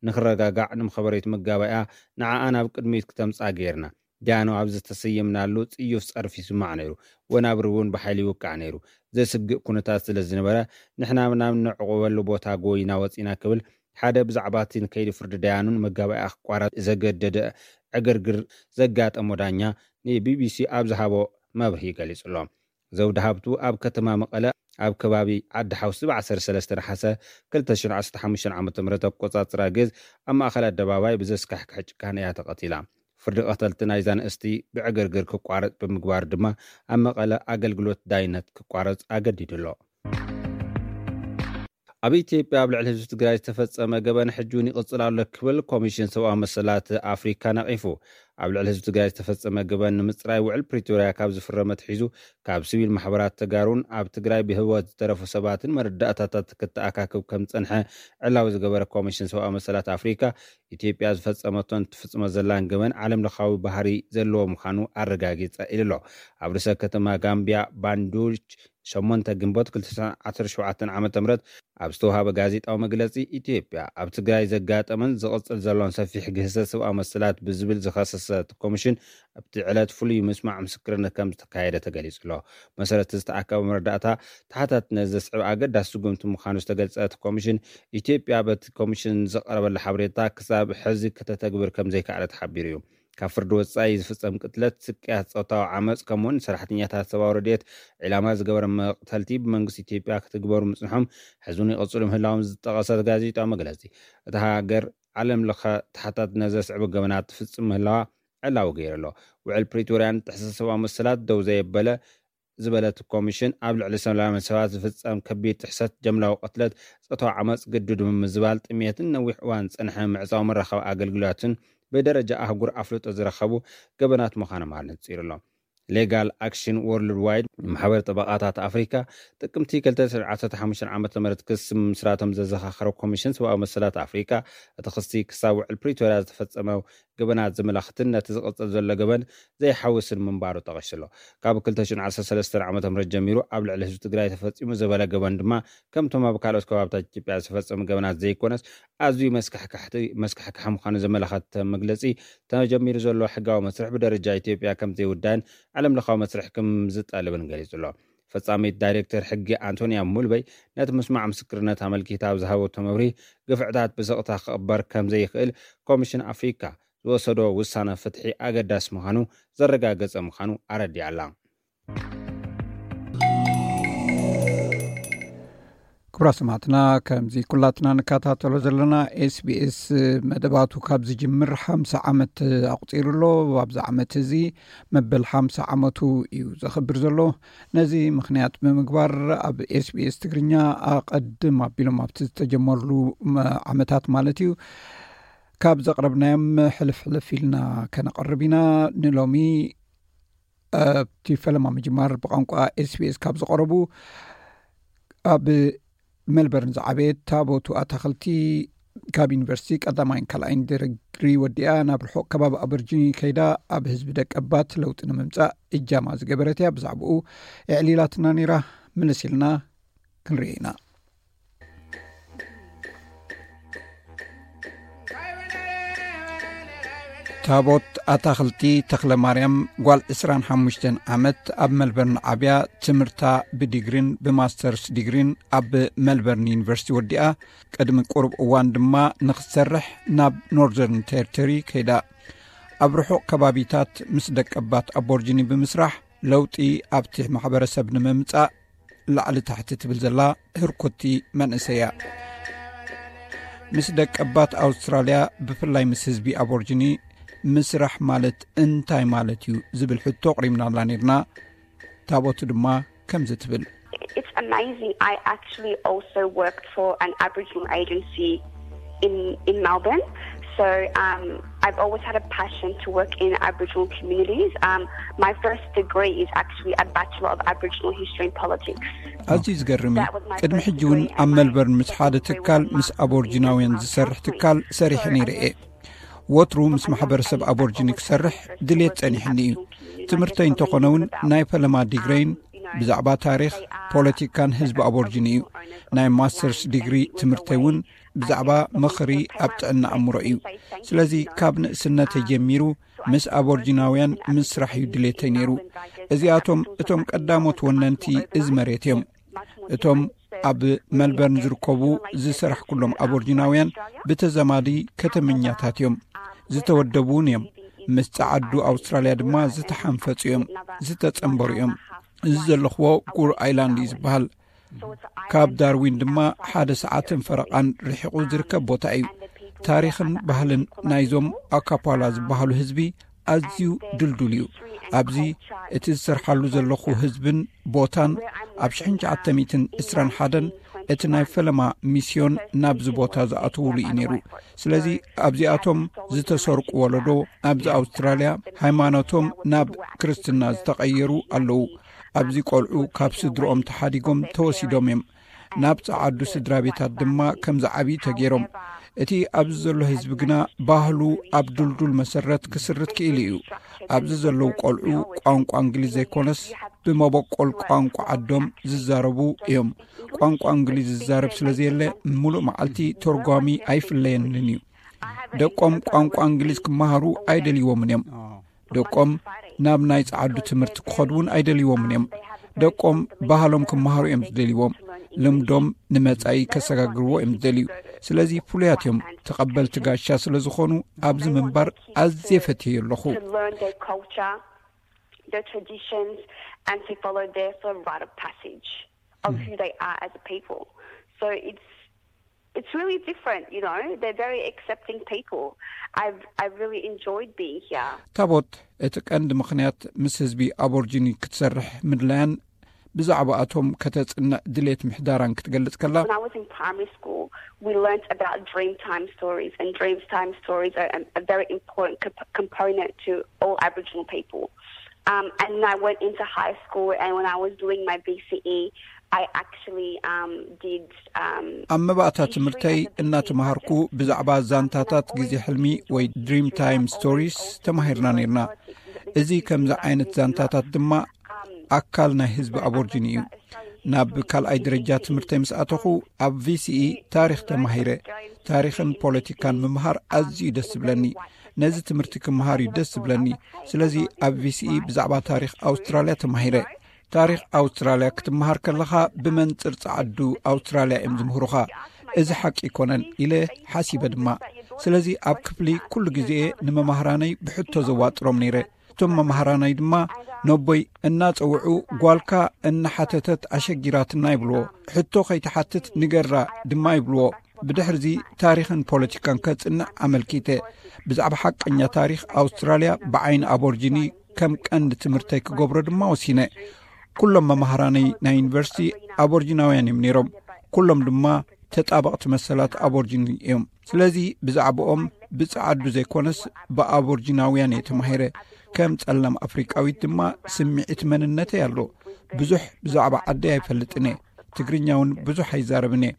ንክረጋጋዕ፣ ንምኸበሬቲ መጋባእያ ንዓኣ ናብ ቅድሚት ክተምጽኣ ገይርና። ደያኑ ኣብ ዝተሰየምናሉ ጽዩፍ ጸርፊ ይስማዕ ነይሩ። ወናብር እውን ብሓይሊ ይውቃዕ ነይሩ። ዘስግእ ኩነታት ስለ ዝነበረ፣ ንሕና ናብ ነዕቑበሉ ቦታ ጎይና ወጺና ክብል ሓደ ብዛዕባ እቲ ንከይዲ ፍርዲ ደያኑን መጋባእያ ክቋረጽ ዘገደደ ዕግርግር ዘጋጠሞ ዳኛ ንቢቢሲ ኣብ ዝሃቦ መብርሂ ገሊጹ ኣሎ። ዘውዲ ሃብቱ ኣብ ከተማ መቐለ ኣብ ከባቢ ዓዲ ሓውሲ ብ13 ነሓሰ ክልተ ሽሕን ዓሰርተ ሓሙሽተን ዓመተ ምህረት ኣቆጻጽራ ግዝ ኣብ ማእኸል ኣደባባይ ብዘስካሕክሕ ጭካነ እያ ተቐቲላ። ፍርዲ ቀተልቲ ናይዛ ንእስቲ ብዕግርግር ክቋረጽ ብምግባር ድማ ኣብ መቐለ ኣገልግሎት ዳይነት ክቋረጽ ኣገዲዱ ኣሎ። ኣብ ኢትዮጵያ ኣብ ልዕሊ ህዝቢ ትግራይ ዝተፈጸመ ገበን ሕጂ እውን ይቕጽል ኣሎ ክብል ኮሚሽን ሰብኣዊ መሰላት ኣፍሪካ ነቒፉ። ኣብ ልዕሊ ህዝቢ ትግራይ ዝተፈጸመ ገበን ንምጽራይ ውዕል ፕሪቶርያ ካብ ዝፍረመ ኣትሒዙ ካብ ሲቪል ማሕበራት ተጋሩን ኣብ ትግራይ ብህይወት ዝተረፉ ሰባትን መረዳእታታት ክተኣካክብ ከም ዝጸንሐ ዕላዊ ዝገበረ ኮሚሽን ሰብኣዊ መሰላት ኣፍሪካ፣ ኢትዮጵያ ዝፈጸመቶን ትፍጽሞ ዘላን ገበን ዓለም ለኻዊ ባህሪ ዘለዎ ምዃኑ ኣረጋጊጸ ኢሉ ኣሎ። ኣብ ርእሰ ከተማ ጋምቢያ ባንዱች ሸሞንተ ግንቦት ክልተ ሽሕን ዓሰርተ ሸውዓተን ዓመተ ምህረት ኣብ ዝተውሃበ ጋዜጣዊ መግለጺ፣ ኢትዮጵያ ኣብ ትግራይ ዘጋጠመን ዝቕጽል ዘሎን ሰፊሕ ግህሰት ሰብኣዊ መሰላት ብዝብል ዝኸሰሰ እቲ ኮሚሽን ኣብቲ ዕለት ፍሉይ ምስማዕ ምስክርነት ከም ዝተካየደ ተገሊጹ ኣሎ። መሰረት ዝተኣከበ መረዳእታ ተሓታትነት ዘስዕብ ኣገዳሲ ስጉምቲ ምዃኑ ዝተገልጸ እቲ ኮሚሽን፣ ኢትዮጵያ በቲ ኮሚሽን ዝቐረበላ ሓበሬታ ክሳብ ሕዚ ከተተግብር ከም ዘይከኣለት ሓቢሩ እዩ። ካብ ፍርዲ ወጻኢ ዝፍጸም ቅትለት፣ ስቅያት፣ ጾታዊ ዓመጽ ከምኡውን ሰራሕተኛታት ሰብኣዊ ረድኤት ዒላማ ዝገበረ መቕተልቲ ብመንግስቲ ኢትዮጵያ ክትግበሩ ምጽንሖም ሕዚ እውን ይቕጽሉ ምህላዎም ዝጠቐሰ ጋዜጣዊ መግለጺ፣ እታ ሃገር ዓለም ለኸ ተሓታትነት ዘስዕቡ ገበናት ትፍጽም ምህላዋ ዕላዊ ገይሩ ኣሎ። ውዕል ፕሪቶርያን ጥሕሰት ሰብኣዊ መሰላት ደው ዘየበለ ዝበለት ኮሚሽን፣ ኣብ ልዕሊ ሰላማውያን ሰባት ዝፍጸም ከቢድ ጥሕሰት፣ ጀምላዊ ቅትለት፣ ጾታዊ ዓመጽ፣ ግዱድ ምምዝባል፣ ጥሜትን ነዊሕ እዋን ዝጸንሐ ምዕጻው መራኸቢ ኣገልግሎትን ብደረጃ ኣህጉር ኣፍልጦ ዝረኸቡ ገበናት ምዃኖም ኣነጺሩ ኣሎ። ሌጋል ኣክሽን ወርልድ ዋይድ፣ ማሕበር ጠበቓታት ኣፍሪካ፣ ጥቅምቲ ክልተ ሽሕን ዓሰርተ ሓሙሽተን ዓመተ ምህረት ክሲ ምምስራቶም ዘዘኻኸረ ኮሚሽን ሰብኣዊ መሰላት ኣፍሪካ፣ እቲ ክሲ ክሳብ ውዕል ፕሪቶርያ ዝተፈጸመ ገበናት ዘመላኽትን ነቲ ዝቕጽል ዘሎ ገበን ዘይሓውስን ምንባሩ ጠቒሱ ኣሎ። ካብ ክልተ ሽሕን ዓሰርተ ሰለስተን ዓመተ ምህረት ጀሚሩ ኣብ ልዕሊ ህዝቢ ትግራይ ተፈጺሙ ዝበለ ገበን ድማ፣ ከምቶም ኣብ ካልኦት ከባብታት ኢትዮጵያ ዝተፈጸሙ ገበናት ዘይኮነስ፣ ኣዝዩ መስካሕካሕቲ-፣ መስካሕካሒ ምዃኑ ዘመላኸተ መግለጺ፣ ተጀሚሩ ዘሎ ሕጋዊ መስርሕ ብደረጃ ኢትዮጵያ ከም ዘይውዳእን ዓለም ለኻዊ መስርሕ ከም ዝጠልብን ገሊጹ ኣሎ። ፈጻሚት ዳይሬክተር ሕጊ ኣንቶንያ ሙልበይ ነቲ ምስማዕ ምስክርነት ኣመልኪታ ኣብ ዝሃበቶ መብርሂ፣ ግፍዕታት ብስቕታ ክቕበር ከም ዘይኽእል ኮሚሽን ኣፍሪካ ዝወሰዶ ውሳነ ፍትሒ ኣገዳሲ ምዃኑ ዘረጋገጸ ምዃኑ ኣረዲኣ ኣላ። ክቡራት ሰማዕትና፣ ከምዚ ኩላትና ንከታተሎ ዘለና ኤስቢኤስ መደባቱ ካብ ዝጅምር ሓምሳ ዓመት ኣቑጺሩ ኣሎ። ኣብዚ ዓመት እዚ መበል ሓምሳ ዓመቱ እዩ ዘኽብር ዘሎ። ነዚ ምኽንያት ብምግባር ኣብ ኤስቢኤስ ትግርኛ ኣቐድም ኣቢሎም ኣብቲ ዝተጀመርሉ መ-፣ ዓመታት ማለት እዩ ካብ ዘቕረብናዮም ሕልፍ ሕልፍ ኢልና ከነቐርብ ኢና። ንሎሚ ኣብቲ ፈለማ ምጅማር ብቋንቋ ኤስቢኤስ ካብ ዝቐረቡ ኣብ ሜልበርን ዝዓበየት ታቦቱ ኣታኽልቲ ካብ ዩኒቨርሲቲ ቀዳማይን ካልኣይን ዲግሪ ወዲኣ ናብ ርሑቕ ከባቢ ኣበርጂኒ ከይዳ ኣብ ህዝቢ ደቀባት ለውጢ ንምምጻእ እጃማ ዝገበረት እያ። ብዛዕባኡ ኣዕሊላትና ነይራ። ምልስ ኢልና ክንርኢ ኢና። ታቦት ኣታኽልቲ ተኽለ ማርያም ጓል ዕስራን ሓሙሽተን ዓመት ኣብ መልበርን ዓብያ ትምህርታ ብዲግሪን ብማስተርስ ዲግሪን ኣብ መልበርን ዩኒቨርሲቲ ወዲኣ ቅድሚ ቁሩብ እዋን ድማ ንኽትሰርሕ ናብ ኖርዘርን ቴሪቶሪ ከይዳ። ኣብ ርሑቕ ከባቢታት ምስ ደቀባት ኣቦርጂኒ ብምስራሕ ለውጢ ኣብቲ ማሕበረሰብ ንምምጻእ ላዕሊ ታሕቲ ትብል ዘላ ህርኩቲ መንእሰይ እያ። ምስ ደቀባት ኣውስትራልያ ብፍላይ ምስ ህዝቢ ኣቦርጂኒ ምስራሕ ማለት እንታይ ማለት እዩ ዝብል ሕቶ ኣቕሪብናላ ነይርና። ታቦቱ ድማ ከምዚ ትብል። It's amazing. I actually also worked for an Aboriginal agency in, in Melbourne. So, um, I've always had a passion to work in Aboriginal communities. Um, my first degree is actually a Bachelor of Aboriginal History and Politics. ኣዝዩ ዝገርም እዩ። That was my ቅድሚ first ሕጂ እውን degree ኣብ and my መልበርን ምስ ሓደ second degree ትካል was ምስ ኣቦርጂናውያን ዝሰርሕ ትካል ሰሪሐ ነይረ እየ። ወትሩ ምስ ማሕበረሰብ ኣቦርጂኒ ክሰርሕ ድሌት ጸኒሕኒ እዩ። ትምህርተይ እንተኾነ እውን ናይ ፈለማ ዲግረይን ብዛዕባ ታሪኽ፣ ፖለቲካን ህዝቢ ኣቦርጂኒ እዩ። ናይ ማስተርስ ዲግሪ ትምህርተይ እውን ብዛዕባ ምኽሪ ኣብ ጥዕና ኣእምሮ እዩ። ስለዚ ካብ ንእስነተይ ጀሚሩ ምስ ኣቦርጂናውያን ምስራሕ እዩ ድሌተይ ነይሩ። እዚኣቶም እቶም ቀዳሞት ወነንቲ እዚ መሬት እዮም። እቶም ኣብ መልበርን ዝርከቡ ዝሰራሕ ኩሎም ኣቦርጂናውያን ብተዘማዲ ከተመኛታት እዮም። ዝተወደቡ እውን እዮም። ምስ ጸዓዱ ኣውስትራልያ ድማ ዝተሓንፈጹ እዮም፣ ዝተጸንበሩ እዮም። እዚ ዘለኽዎ ጉር ኣይላንድ እዩ ዝበሃል። ካብ ዳርዊን ድማ ሓደ ሰዓትን ፈረቓን ርሒቑ ዝርከብ ቦታ እዩ። ታሪኽን ባህልን ናይዞም ኣካፓላ ዝበሃሉ ህዝቢ ኣዝዩ ድልዱል እዩ። ኣብዚ እቲ ዝሰርሓሉ ዘለኹ ህዝብን ቦታን ኣብ ሽሕን ትሽዓተ ሚእትን ዕስራን ሓደን እቲ ናይ ፈለማ ሚስዮን ናብዚ ቦታ ዝኣተውሉ እዩ ነይሩ። ስለዚ ኣብዚኣቶም ዝተሰርቁ ወለዶ ኣብዚ ኣውስትራልያ ሃይማኖቶም ናብ ክርስትና ዝተቐየሩ ኣለዉ። ኣብዚ ቆልዑ ካብ ስድርኦም ተሓዲጎም ተወሲዶም እዮም። ናብ ጸዓዱ ስድራ ቤታት ድማ ከም ዝዓብዩ ተገይሮም። እቲ ኣብዚ ዘሎ ህዝቢ ግና ባህሉ ኣብ ድልዱል መሰረት ክስርት ክኢሉ እዩ። ኣብዚ ዘለዉ ቆልዑ ቋንቋ እንግሊዝ ዘይኮነስ ብመበቆል ቋንቋ ዓዶም ዝዛረቡ እዮም። ቋንቋ እንግሊዝ ዝዛረብ ስለ ዘየለ፣ ምሉእ መዓልቲ ተርጓሚ ኣይፍለየንን እዩ። ደቆም ቋንቋ እንግሊዝ ክመሃሩ ኣይደልይዎምን እዮም። ደቆም ናብ ናይ ጸዓዱ ትምህርቲ ክኸዱ እውን ኣይደልይዎምን እዮም። ደቆም ባህሎም ክመሃሩ እዮም ዝደልይዎም። ልምዶም ንመጻኢ ከሰጋግርዎ እዮም ዝደልዩ። ስለዚ ፍሉያት እዮም። ተቐበልቲ ጋሻ ስለ ዝኾኑ ኣብዚ ምንባር ኣዝየ ፈትየ ኣለኹ። To learn their culture, their traditions, and to follow their sort of rite of passage of who they are as a people. So it's it's really different, you know. They're very accepting people. I've I've really enjoyed being here. ታቦት፣ እቲ ቀንዲ ምኽንያት ምስ ህዝቢ ኣቦርጂኒ ክትሰርሕ ምድላያን ብዛዕባኣቶም ከተጽንዕ ድሌት ምሕዳራን ክትገልጽ ከላ፣ When I was in primary school, we learnt about dream time stories, and dream time stories are a, a very important comp- component to all Aboriginal people. Um, and then I went into high school, and when I was doing my B C E, I actually um, did. Um, ኣብ መባእታ ትምህርተይ እናተምሃርኩ ብዛዕባ ዛንታታት ግዜ ሕልሚ ወይ ድሪም ታይም ስቶሪስ ተማሂርና ነርና። እዚ ከምዚ ዓይነት ዛንታታት ድማ ኣካል ናይ ህዝቢ ኣቦርጂኒ እዩ። ናብ ካልኣይ ደረጃ ትምህርተይ ምስ ኣተኹ ኣብ ቪሲኢ ታሪኽ ተማሂረ። ታሪኽን ፖለቲካን ምምሃር ኣዝዩ ደስ ዝብለኒ። ነዚ ትምህርቲ ክምሃር እዩ ደስ ዝብለኒ። ስለዚ ኣብ ቪሲኢ ብዛዕባ ታሪኽ ኣውስትራልያ ተማሂረ። ታሪኽ ኣውስትራልያ ክትምሃር ከለኻ ብመንጽር ጸዓዱ ኣውስትራልያ እዮም ዝምህሩኻ። እዚ ሓቂ ኣይኮነን ኢለ ሓሲበ ድማ። ስለዚ ኣብ ክፍሊ ኩሉ ግዜ ንመማህራነይ ብሕቶ ዘዋጥሮም ነይረ። እቶም መማህራነይ ድማ ነቦይ እናጸውዑ ጓልካ እናሓተተት ኣሸጊራትና ይብልዎ። ሕቶ ከይትሓትት ንገራ ድማ ይብልዎ። ብድሕርዚ ታሪኽን ፖለቲካን ከጽንዕ ኣመልኪተ። ብዛዕባ ሓቀኛ ታሪኽ ኣውስትራልያ ብዓይኒ ኣቦርጂኒ ከም ቀንዲ ትምህርተይ ክገብሮ ድማ ወሲነ። ኩሎም መማህራነይ ናይ ዩኒቨርሲቲ ኣቦርጂናውያን እዮም ነይሮም። ኩሎም ድማ ተጣበቕቲ መሰላት ኣቦርጂኒ እዮም። ስለዚ ብዛዕባኦም ብጸዓዱ ዘይኮነስ ብኣቦርጂናውያን እየ ተማሂረ። ከም ጸላም ኣፍሪቃዊት ድማ ስምዒት መንነተይ ኣሎ። ብዙሕ ብዛዕባ ዓደይ ኣይፈልጥን እየ። ትግርኛ እውን ብዙሕ ኣይዛረብን እየ።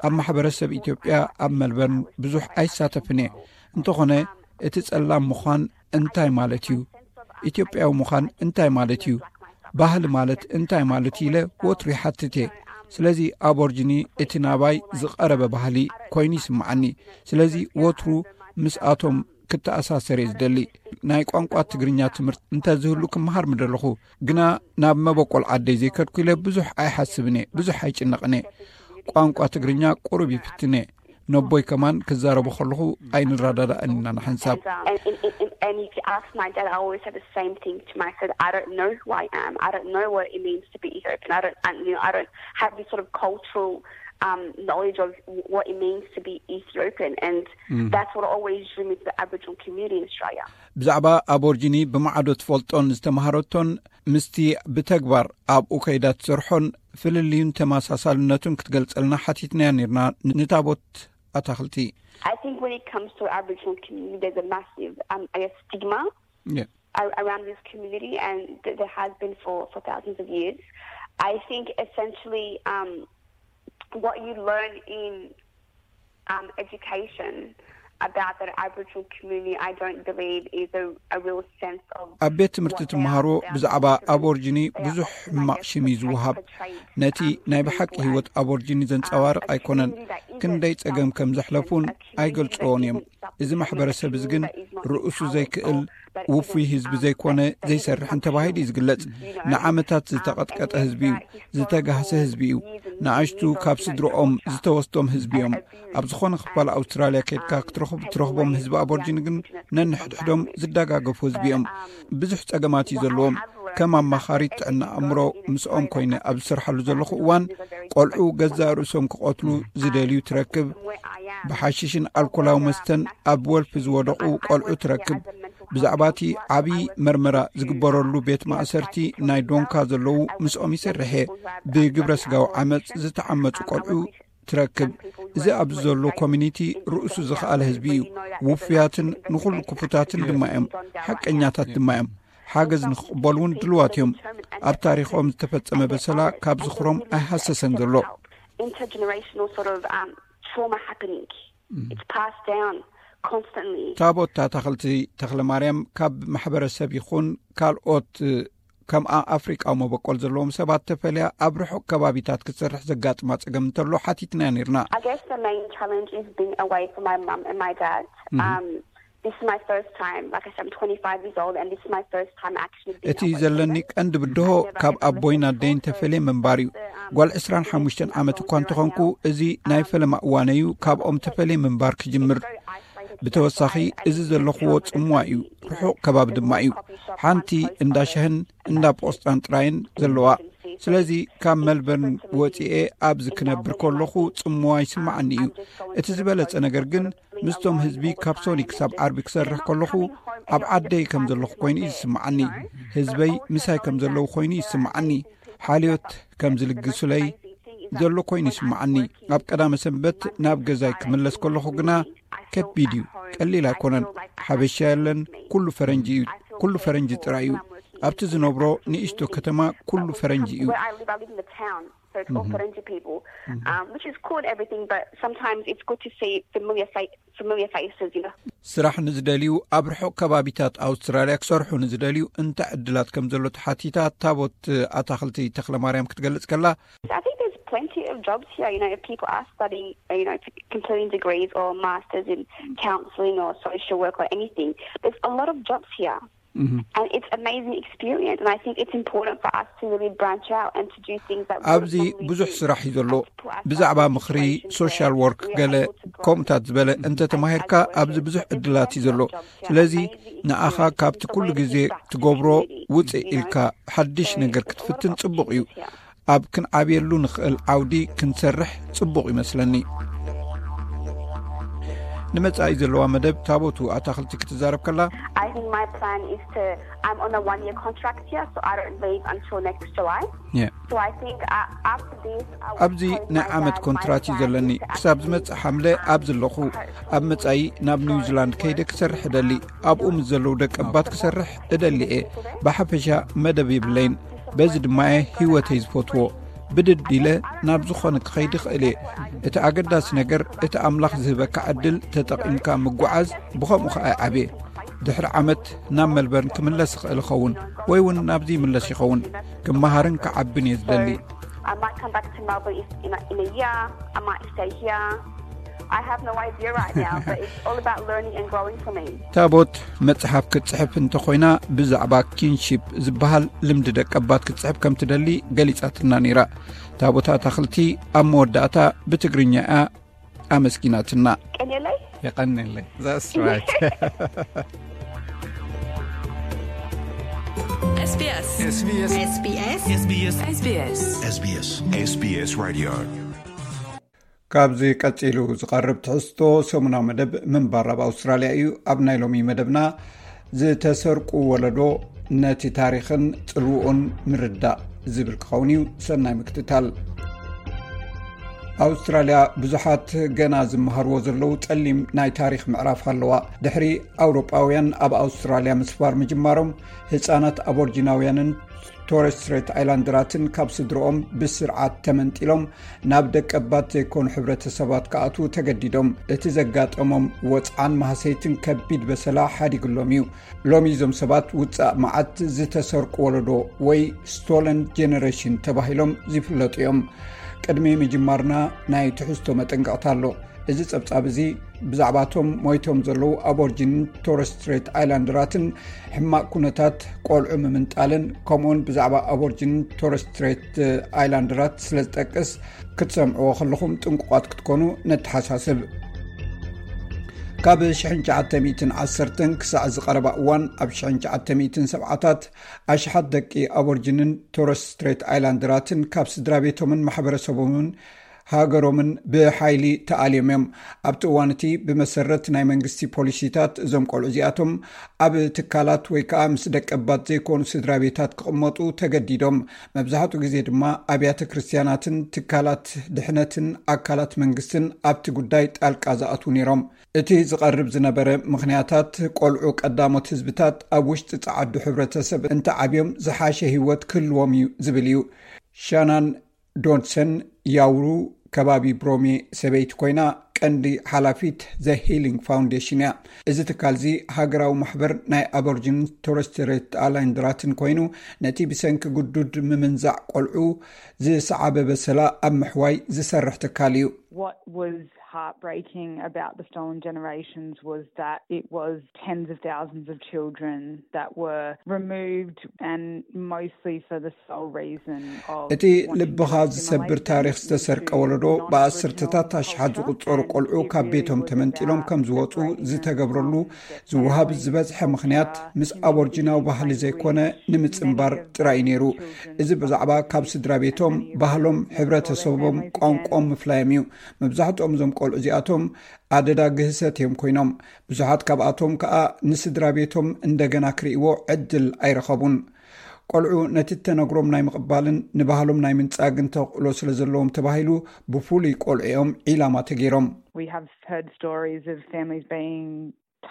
ኣብ ማሕበረሰብ ኢትዮጵያ ኣብ መልበርን ብዙሕ ኣይሳተፍን እየ። እንተኾነ እቲ ጸላም ምዃን እንታይ ማለት እዩ? ኢትዮጵያዊ ምዃን እንታይ ማለት እዩ? ባህሊ ማለት እንታይ ማለት እዩ ኢለ ወትሩ ይሓትት እየ። ስለዚ ኣቦርጂኒ እቲ ናባይ ዝቐረበ ባህሊ ኮይኑ ይስምዓኒ። ስለዚ ወትሩ ምስኣቶም ክተኣሳሰር እየ ዝደሊ። ናይ ቋንቋ ትግርኛ ትምህርቲ እንተዝህሉ ክመሃር ምደለኹ። ግና ናብ መበቆል ዓደይ ዘይከድኩ ኢለ ብዙሕ ኣይሓስብን እየ፣ ብዙሕ ኣይጭነቕን እየ። ቋንቋ ትግርኛ ቁሩብ ይፍትን እየ። ነቦይ ከማን ክዛረቡ ከለኹ ኣይንረዳዳእን ኢና ንሓንሳብ። And, um, and, and, and, and if you ask my dad, I always say the same thing to him. I said, I don't know who I am. I don't know what it means to be Ethiopian. I don't, I, you know, I don't have this sort of cultural um, knowledge of what it means to be Ethiopian. And that's what always drew me to the Aboriginal community in Australia. ብዛዕባ ኣቦርጂኒ ብማዕዶ ትፈልጦን ዝተምሃረቶን ምስቲ ብተግባር ኣብኡ ከይዳ ትሰርሖን ፍልልዩን ተመሳሳልነቱን ክትገልጸልና ሓቲትናያ ነርና ንታቦት ኣታኽልቲ። I think when it comes to Aboriginal community, there's a massive, um, I guess, stigma Yeah. a- around this community, and th- there has been for, for thousands of years. I think essentially um, what you learn in um, education about that Aboriginal community, I don't believe is a, a real sense of ኣብ ቤት ትምህርቲ ትምሃሮ ብዛዕባ ኣቦርጂኒ ብዙሕ ሕማቕ ሽም እዩ ዝወሃብ። ነቲ ናይ ብሓቂ ህይወት ኣቦርጂኒ ዘንጸባርቕ ኣይኮነን። ክንደይ ጸገም ከም ዘሕለፉን ኣይገልጽዎን እዮም። እዚ ማሕበረሰብ እዚ ግን ርእሱ ዘይክእል ውፉይ ህዝቢ ዘይኮነ ዘይሰርሕን ተባሂሉ እዩ ዝግለጽ። ንዓመታት ዝተቐጥቀጠ ህዝቢ እዩ። ዝተጋህሰ ህዝቢ እዩ። ንኣሽቱ ካብ ስድርኦም ዝተወስዶም ህዝቢ እዮም። ኣብ ዝኾነ ክፋል ኣውስትራልያ ከድካ ክትረኽብ ትረኽቦም ህዝቢ ኣቦርጂኒ ግን ነንሕድሕዶም ዝደጋገፉ ህዝቢ እዮም። ብዙሕ ጸገማት እዩ ዘለዎም። ከም ኣማኻሪት ጥዕና ኣእምሮ ምስኦም ኮይነ ኣብ ዝሰርሓሉ ዘለኹ እዋን፣ ቆልዑ ገዛእ ርእሶም ክቐትሉ ዝደልዩ ትረክብ። ብሓሽሽን ኣልኮላዊ መስተን ኣብ ወልፊ ዝወደቑ ቆልዑ ትረክብ። ብዛዕባ እቲ ዓብዪ መርመራ ዝግበረሉ ቤት ማእሰርቲ ናይ ዶንካ ዘለዉ ምስኦም ይሰርሕ እየ። ብግብረ ስጋዊ ዓመፅ ዝተዓመፁ ቆልዑ ትረክብ። እዚ ኣብዚ ዘሎ ኮሚኒቲ ርእሱ ዝኸኣለ ህዝቢ እዩ። ውፉያትን ንኹሉ ክፉታትን ድማ እዮም። ሓቀኛታት ድማ እዮም። ሓገዝ ንክቕበሉ እውን ድልዋት እዮም። ኣብ ታሪኾም ዝተፈጸመ በሰላ ካብ ዝኽሮም ኣይሃሰሰን ዘሎ። Intergenerational sort of um, trauma happening. It's passed down constantly. ታቦት ኣታኽልቲ ተኽለ ማርያም ካብ ማሕበረሰብ ይኹን ካልኦት ከምኣ ኣፍሪቃዊ መበቆል ዘለዎም ሰባት ተፈልያ ኣብ ርሑቕ ከባቢታት ክትሰርሕ ዘጋጥማ ጸገም እንተሎ ሓቲትናያ ነይርና። I guess the main challenge is being away from my mum and my dad. Um, this is my first time, like I said, I'm twenty-five years old, and this is my first time actually being እቲ away from ዘለኒ them. ቀንዲ ብድሆ ካብ ኣቦይን ኣደይን ተፈልየ ምንባር እዩ። ጓል ዕስራን ሓሙሽተን ዓመት እኳ እንተኾንኩ፣ እዚ ናይ ፈለማ እዋነይ እዩ ካብኦም ተፈልየ ምንባር ክጅምር። ብተወሳኺ፣ እዚ ዘለኽዎ ጽምዋ እዩ፣ ርሑቕ ከባቢ ድማ እዩ። ሓንቲ እንዳ ሻህን እንዳ ቆስጣን ጥራይን ዘለዋ። ስለዚ ካብ መልበርን ወጺኤ ኣብዚ ክነብር ከለኹ ጽምዋ ይስምዓኒ እዩ። እቲ ዝበለጸ ነገር ግን ምስቶም ህዝቢ ካብ ሶኒ ክሳብ ዓርቢ ክሰርሕ ከለኹ ኣብ ዓደይ ከም ዘለኹ ኮይኑ እዩ ዝስምዓኒ። ህዝበይ ምሳይ ከም ዘለዉ ኮይኑ ይስምዓኒ። ሓልዮት ከም ዝልግሱለይ ዘሎ ኮይኑ ይስምዓኒ። ኣብ ቀዳመ ሰንበት ናብ ገዛይ ክምለስ ከለኹ ግና ከቢድ እዩ፣ ቀሊል ኣይኮነን። ሓበሻ የለን፣ ኩሉ ፈረንጂ እዩ፣ ኩሉ ፈረንጂ ጥራይ እዩ። ኣብቲ ዝነብሮ ንእሽቶ ከተማ ኩሉ ፈረንጂ እዩ። Where I live, I live in the town, so it's all Farangi people, um, which is cool and everything, but sometimes it's good to see familiar fa- familiar faces, you know. ስራሕ ንዝደልዩ፣ ኣብ ርሑቕ ከባቢታት ኣውስትራልያ ክሰርሑ ንዝደልዩ እንታይ ዕድላት ከም ዘሎ ተሓቲታ ታቦት ኣታኽልቲ ተኽለ ማርያም ክትገልጽ ከላ፣ I think there's plenty of jobs here, you know, if people are studying, you know, completing degrees or masters in counselling or social work or anything. There's a lot of jobs here. And it's amazing experience, and I think it's important for us to really branch out and to do things that we ኣብዚ normally ብዙሕ do. ስራሕ እዩ ዘሎ። ብዛዕባ ምኽሪ፣ ሶሻል ወርክ፣ ገለ ከምኡታት ዝበለ እንተተማሂርካ ኣብዚ ብዙሕ ዕድላት እዩ ዘሎ። ስለዚ ንኣኻ ካብቲ ኩሉ ግዜ ትገብሮ ውፅእ ኢልካ ሓድሽ ነገር ክትፍትን ጽቡቕ እዩ። ኣብ ክንዓብየሉ ንኽእል ዓውዲ ክንሰርሕ ጽቡቕ ይመስለኒ። ንመጻኢ ዘለዋ መደብ ታቦቱ ኣታኽልቲ ክትዛረብ ከላ፣ I think my plan is to. I'm on a one-year contract here, so I don't leave until next July. Yeah. So I think uh, after this, I would ኣብዚ probably ናይ my ዓመት plan, ኮንትራት my እዩ ዘለኒ። plan is to ክሳብ actually, ዝመጽእ ሓምለ um, ኣብዚ ኣለኹ። ኣብ መጻኢ ናብ ኒውዚላንድ ከይደ ክሰርሕ እደሊ። ኣብኡ ምስ ዘለዉ ደቂ ኣባት ክሰርሕ እደሊ እየ። ብሓፈሻ መደብ የብለይን። በዚ ድማ እየ ህይወተይ ዝፈትዎ። ብድድ ኢለ ናብ ዝኾነ ክኸይድ እኽእል እየ። እቲ ኣገዳሲ ነገር እቲ ኣምላኽ ዝህበካ ዕድል ተጠቒምካ ምጉዓዝ፣ ብኸምኡ ኸኣ ይዓብየ። ድሕሪ ዓመት ናብ መልበርን ክምለስ እኽእል እኸውን፣ ወይ እውን ናብዚ ይምለስ ይኸውን። ክመሃርን ክዓብን እየ ዝደሊ። I might come back to Melbourne if, in, a, in a year. I might stay here. I have no idea right now, but it's all about learning and growing for me. ታቦት መጽሓፍ ክትጽሕፍ እንተኾይና ብዛዕባ ኪንሺፕ ዝበሃል ልምዲ ደቀባት ክትጽሕፍ ከም ትደሊ ገሊጻትና ነይራ። ታቦት ኣታኽልቲ ኣብ መወዳእታ ብትግርኛ እያ ኣመስጊናትና። ቀኔለይ? የቐንየለይ። That's right. SBS. SBS. SBS. SBS. SBS. SBS. SBS. SBS Radio. ካብዚ ቀጺሉ ዝቐርብ ትሕዝቶ ሰሙናዊ መደብ ምንባር ኣብ ኣውስትራልያ እዩ። ኣብ ናይ ሎሚ መደብና ዝተሰርቁ ወለዶ ነቲ ታሪኽን ጽልውኡን ምርዳእ ዝብል ክኸውን እዩ። ሰናይ ምክትታል። ኣውስትራልያ ብዙሓት ገና ዝመሃርዎ ዘለዉ ጸሊም ናይ ታሪኽ ምዕራፍ ኣለዋ። ድሕሪ ኣውሮጳውያን ኣብ ኣውስትራልያ ምስፋር ምጅማሮም፣ ህጻናት ኣቦርጂናውያንን ቶረስ ስትሬት ኣይላንደራትን ካብ ስድርኦም ብስርዓት ተመንጢሎም ናብ ደቀባት ዘይኮኑ ሕብረተሰባት ክኣትዉ ተገዲዶም። እቲ ዘጋጠሞም ወጽዓን ማህሰይትን ከቢድ በሰላ ሓዲግሎም እዩ። ሎሚ እዞም ሰባት ውጻእ መዓት ዝተሰርቁ ወለዶ ወይ ስቶለን ጀነሬሽን ተባሂሎም ዝፍለጡ እዮም። ቅድሚ ምጅማርና ናይ ትሕዝቶ መጠንቀቕታ ኣሎ። እዚ ጸብጻብ እዚ ብዛዕባቶም ሞይቶም ዘለዉ ኣቦርጂንን ቶረስ ስትሬት ኣይላንደራትን ሕማቕ ኩነታት ቆልዑ ምምንጣልን ከምኡውን ብዛዕባ ኣቦርጂንን ቶረስ ስትሬት ኣይላንደራት ስለ ዝጠቅስ ክትሰምዕዎ ከለኹም ጥንቁቓት ክትኮኑ ነተሓሳስብ። ካብ ሽሕን ትሽዓተ ሚእትን ዓሰርተን ክሳዕ ዝቐረባ እዋን፣ ኣብ ሽሕን ትሽዓተ ሚእትን ሰብዓታት ኣሽሓት ደቂ ኣቦርጅንን ቶረስ ስትሬት ኣይላንደራትን ካብ ስድራ ቤቶምን ማሕበረሰቦምን ሃገሮምን ብሓይሊ ተኣልዮም እዮም። ኣብቲ እዋን እቲ፣ ብመሰረት ናይ መንግስቲ ፖሊሲታት፣ እዞም ቆልዑ እዚኣቶም ኣብ ትካላት ወይ ከዓ ምስ ደቀባት ዘይኮኑ ስድራ ቤታት ክቕመጡ ተገዲዶም። መብዛሕትኡ ግዜ ድማ ኣብያተ ክርስትያናትን ትካላት ድሕነትን ኣካላት መንግስትን ኣብቲ ጉዳይ ጣልቃ ዝኣትዉ ነይሮም። እቲ ዝቐርብ ዝነበረ ምኽንያታት፣ ቆልዑ ቀዳሞት ህዝብታት ኣብ ውሽጢ ጸዓዱ ሕብረተሰብ እንተዓብዮም ዝሓሸ ህይወት ክህልዎም እዩ ዝብል እዩ። ሻናን ዶድሰን ያውሩ፣ ከባቢ ብሮሜ፣ ሰበይቲ ኮይና፣ ቀንዲ ሓላፊት ዘ ሂሊንግ ፋውንዴሽን እያ። እዚ ትካል እዚ ሃገራዊ ማሕበር ናይ ኣቦርጅን ቶረስ ስትሬት ኣይላንደራትን ኮይኑ፣ ነቲ ብሰንኪ ግዱድ ምምንዛዕ ቆልዑ ዝሰዓበ በሰላ ኣብ ምሕዋይ ዝሰርሕ ትካል እዩ። What was heartbreaking about the Stolen Generations was that it was tens of thousands of children that were removed, and mostly for the sole reason of እቲ ልብኻ ዝሰብር ታሪኽ ዝተሰርቀ ወለዶ፣ ብኣስርተታት ኣሽሓት ዝቑጸሩ ቆልዑ ካብ ቤቶም ተመንጢሎም ከም ዝወጹ ዝተገብረሉ ዝወሃብ ዝበዝሐ ምኽንያት፣ ምስ ኣቦርጅናዊ ባህሊ ዘይኮነ ንምጽንባር ጥራይ እዩ ነይሩ። እዚ ብዛዕባ ካብ ስድራ ቤቶም፣ ባህሎም፣ ሕብረተሰቦም፣ ቋንቋኦም ምፍላዮም እዩ። መብዛሕትኦም እዞም ቆልዑ እዚኣቶም ኣደዳ ግህሰት እዮም ኮይኖም። ብዙሓት ካብኣቶም ከኣ ንስድራ ቤቶም እንደገና ክርእይዎ ዕድል ኣይረኸቡን። ቆልዑ ነቲ እተነግሮም ናይ ምቕባልን ንባህሎም ናይ ምንጻግን ተኽእሎ ስለ ዘለዎም ተባሂሉ፣ ብፍሉይ ቆልዑ እዮም ዒላማ ተገይሮም። We have heard stories of families being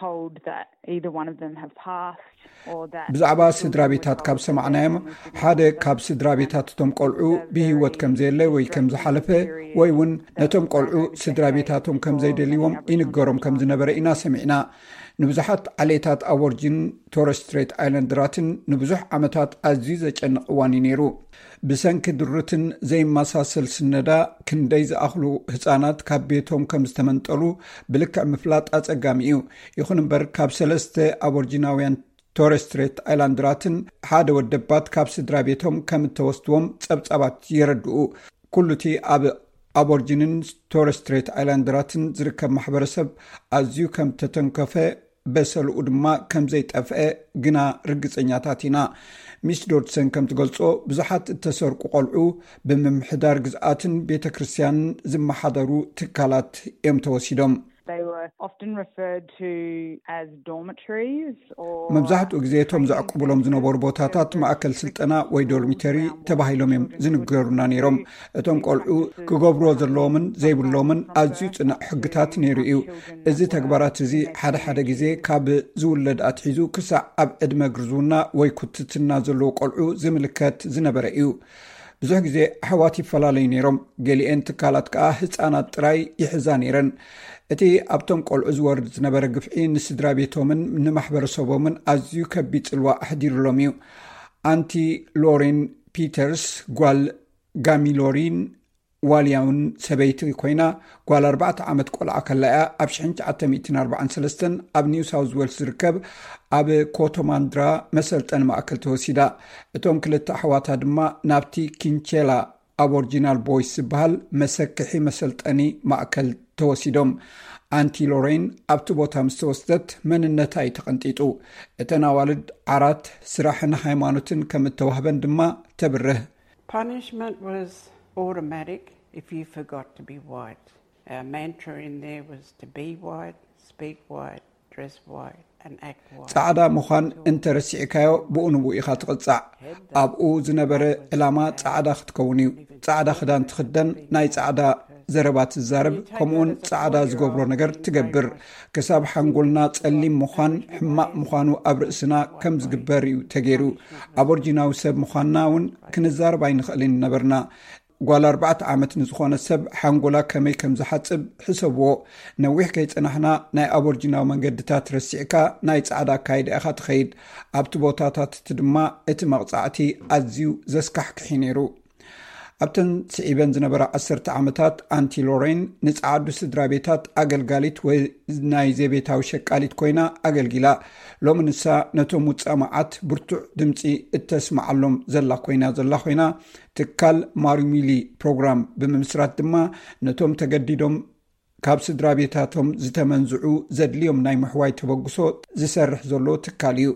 told that either one of them have passed or that ብዛዕባ ስድራ ቤታት ካብ ሰማዕናዮም፣ ሓደ ካብ ስድራ ቤታት እቶም ቆልዑ ብህይወት ከም ዘየለ ወይ ከም ዝሓለፈ፣ ወይ እውን ነቶም ቆልዑ ስድራ ቤታቶም ከም ዘይደልይዎም ይንገሮም ከም ዝነበረ ኢና ሰሚዕና። ንብዙሓት ዓሌታት ኣቦርጅን ቶረስ ስትሬት ኣይላንደራትን ንብዙሕ ዓመታት ኣዝዩ ዘጨንቕ እዋን እዩ ነይሩ። ብሰንኪ ድሩትን ዘይመሳሰል ስነዳ፣ ክንደይ ዝኣኽሉ ህጻናት ካብ ቤቶም ከም ዝተመንጠሉ ብልክዕ ምፍላጥ ኣጸጋሚ እዩ። ይኹን እምበር፣ ካብ ሰለስተ ኣቦርጂናውያን ቶረስ ስትሬት ኣይላንደራትን ሓደ ወደባት ካብ ስድራ ቤቶም ከም እተወስድዎም ጸብጻባት የረድኡ። ኩሉ እቲ ኣብ ኣቦርጂንን ቶረስ ስትሬት ኣይላንደራትን ዝርከብ ማሕበረሰብ ኣዝዩ ከም ተተንከፈ፣ በሰልኡ ድማ ከም ዘይጠፍአ ግና ርግጸኛታት ኢና። ሚስ ዶድሰን ከም ትገልጾ፣ ብዙሓት እተሰርቁ ቆልዑ ብምምሕዳር ግዝኣትን ቤተ ክርስቲያንን ዝመሓደሩ ትካላት እዮም ተወሲዶም። They were often referred to as dormitories or መብዛሕትኡ ግዜ እቶም ዘዕቁብሎም ዝነበሩ ቦታታት ማእከል ስልጠና ወይ ዶርሚተሪ ተባሂሎም እዮም ዝንገሩና ነይሮም። እቶም ቆልዑ ክገብርዎ ዘለዎምን ዘይብሎምን ኣዝዩ ጽኑዕ ሕግታት ነይሩ እዩ። እዚ ተግባራት እዚ ሓደ ሓደ ግዜ ካብ ዝውለድ ኣትሒዙ ክሳዕ ኣብ ዕድመ ግርዝውና ወይ ኩትትና ዘለዉ ቆልዑ ዝምልከት ዝነበረ እዩ። ብዙሕ ግዜ ኣሕዋት ይፈላለዩ ነይሮም። ገሊኤን ትካላት ከኣ ህጻናት ጥራይ ይሕዛ ነይረን። እቲ ኣብቶም ቆልዑ ዝወርድ ዝነበረ ግፍዒ ንስድራ ቤቶምን ንማሕበረሰቦምን ኣዝዩ ከቢድ ጽልዋ ኣሕዲሩሎም እዩ። ኣንቲ ሎሬን ፒተርስ፣ ጓል ጋሚ ሎሪን ዋልያውን ሰበይቲ ኮይና፣ ጓል ኣርባዕተ ዓመት ቆልዓ ከላ እያ ኣብ ሽሕን ትሽዓተ ሚእትን ኣርባዓን ሰለስተን ኣብ ኒው ሳውዝ ዌልስ ዝርከብ ኣብ ኮቶማንድራ መሰልጠኒ ማእከል ተወሲዳ። እቶም ክልተ ኣሕዋታ ድማ ናብቲ ኪንቼላ ኣቦርጂናል ቦይስ ዝበሃል መሰክሒ መሰልጠኒ ማእከል ተወሲዶም። ኣንቲ ሎሬን ኣብቲ ቦታ ምስ ተወስደት መንነታ እዩ ተቐንጢጡ። እተን ኣዋልድ ዓራት፣ ስራሕን ሃይማኖትን ከም እተዋህበን ድማ ተብርህ። Punishment was automatic if you forgot to be white. Our mantra in there was to be white, speak white, dress white, and act white. ጻዕዳ ምዃን እንተረሲዕካዮ፣ ብኡ ንብኡ ኢኻ ትቕጻዕ። ኣብኡ ዝነበረ ዕላማ ጻዕዳ ክትከውን እዩ። ጻዕዳ ክዳን ትኽደን፣ ናይ ጻዕዳ ዘረባ ትዛረብ፣ ከምኡውን ጻዕዳ ዝገብሮ ነገር ትገብር። ክሳብ ሓንጎልና ጸሊም ምዃን ሕማቕ ምዃኑ ኣብ ርእስና ከም ዝግበር እዩ ተገይሩ። ኣቦርጂናዊ ሰብ ምዃንና እውን ክንዛረብ ኣይንኽእልን ነበርና። ጓል ኣርባዕተ ዓመት ንዝኾነ ሰብ ሓንጎላ ከመይ ከም ዝሓጽብ ሕሰብዎ። ነዊሕ ከይጸናሕና፣ ናይ ኣቦርጂናዊ መንገድታት ረሲዕካ፣ ናይ ጻዕዳ ኣካይዳ ኢኻ ትኸይድ። ኣብቲ ቦታታት እቲ ድማ እቲ መቕጻዕቲ ኣዝዩ ዘስካሕክሕ እዩ ነይሩ። ኣብተን ስዒበን ዝነበራ ዓሰርተ ዓመታት፣ ኣንቲ ሎሬን ንጸዓዱ ስድራ ቤታት ኣገልጋሊት ወይ ናይ ዘቤታዊ ሸቃሊት ኮይና ኣገልጊላ። ሎሚ ንሳ ነቶም ውጻእ መዓት ብርቱዕ ድምጺ እተስምዓሎም ዘላ ኮይና ዘላ ኮይና፣ ትካል ማሩሚሊ ፕሮግራም ብምምስራት ድማ ነቶም ተገዲዶም ካብ ስድራ ቤታቶም ዝተመንዝዑ ዘድልዮም ናይ ምሕዋይ ተበግሶ ዝሰርሕ ዘሎ ትካል እዩ።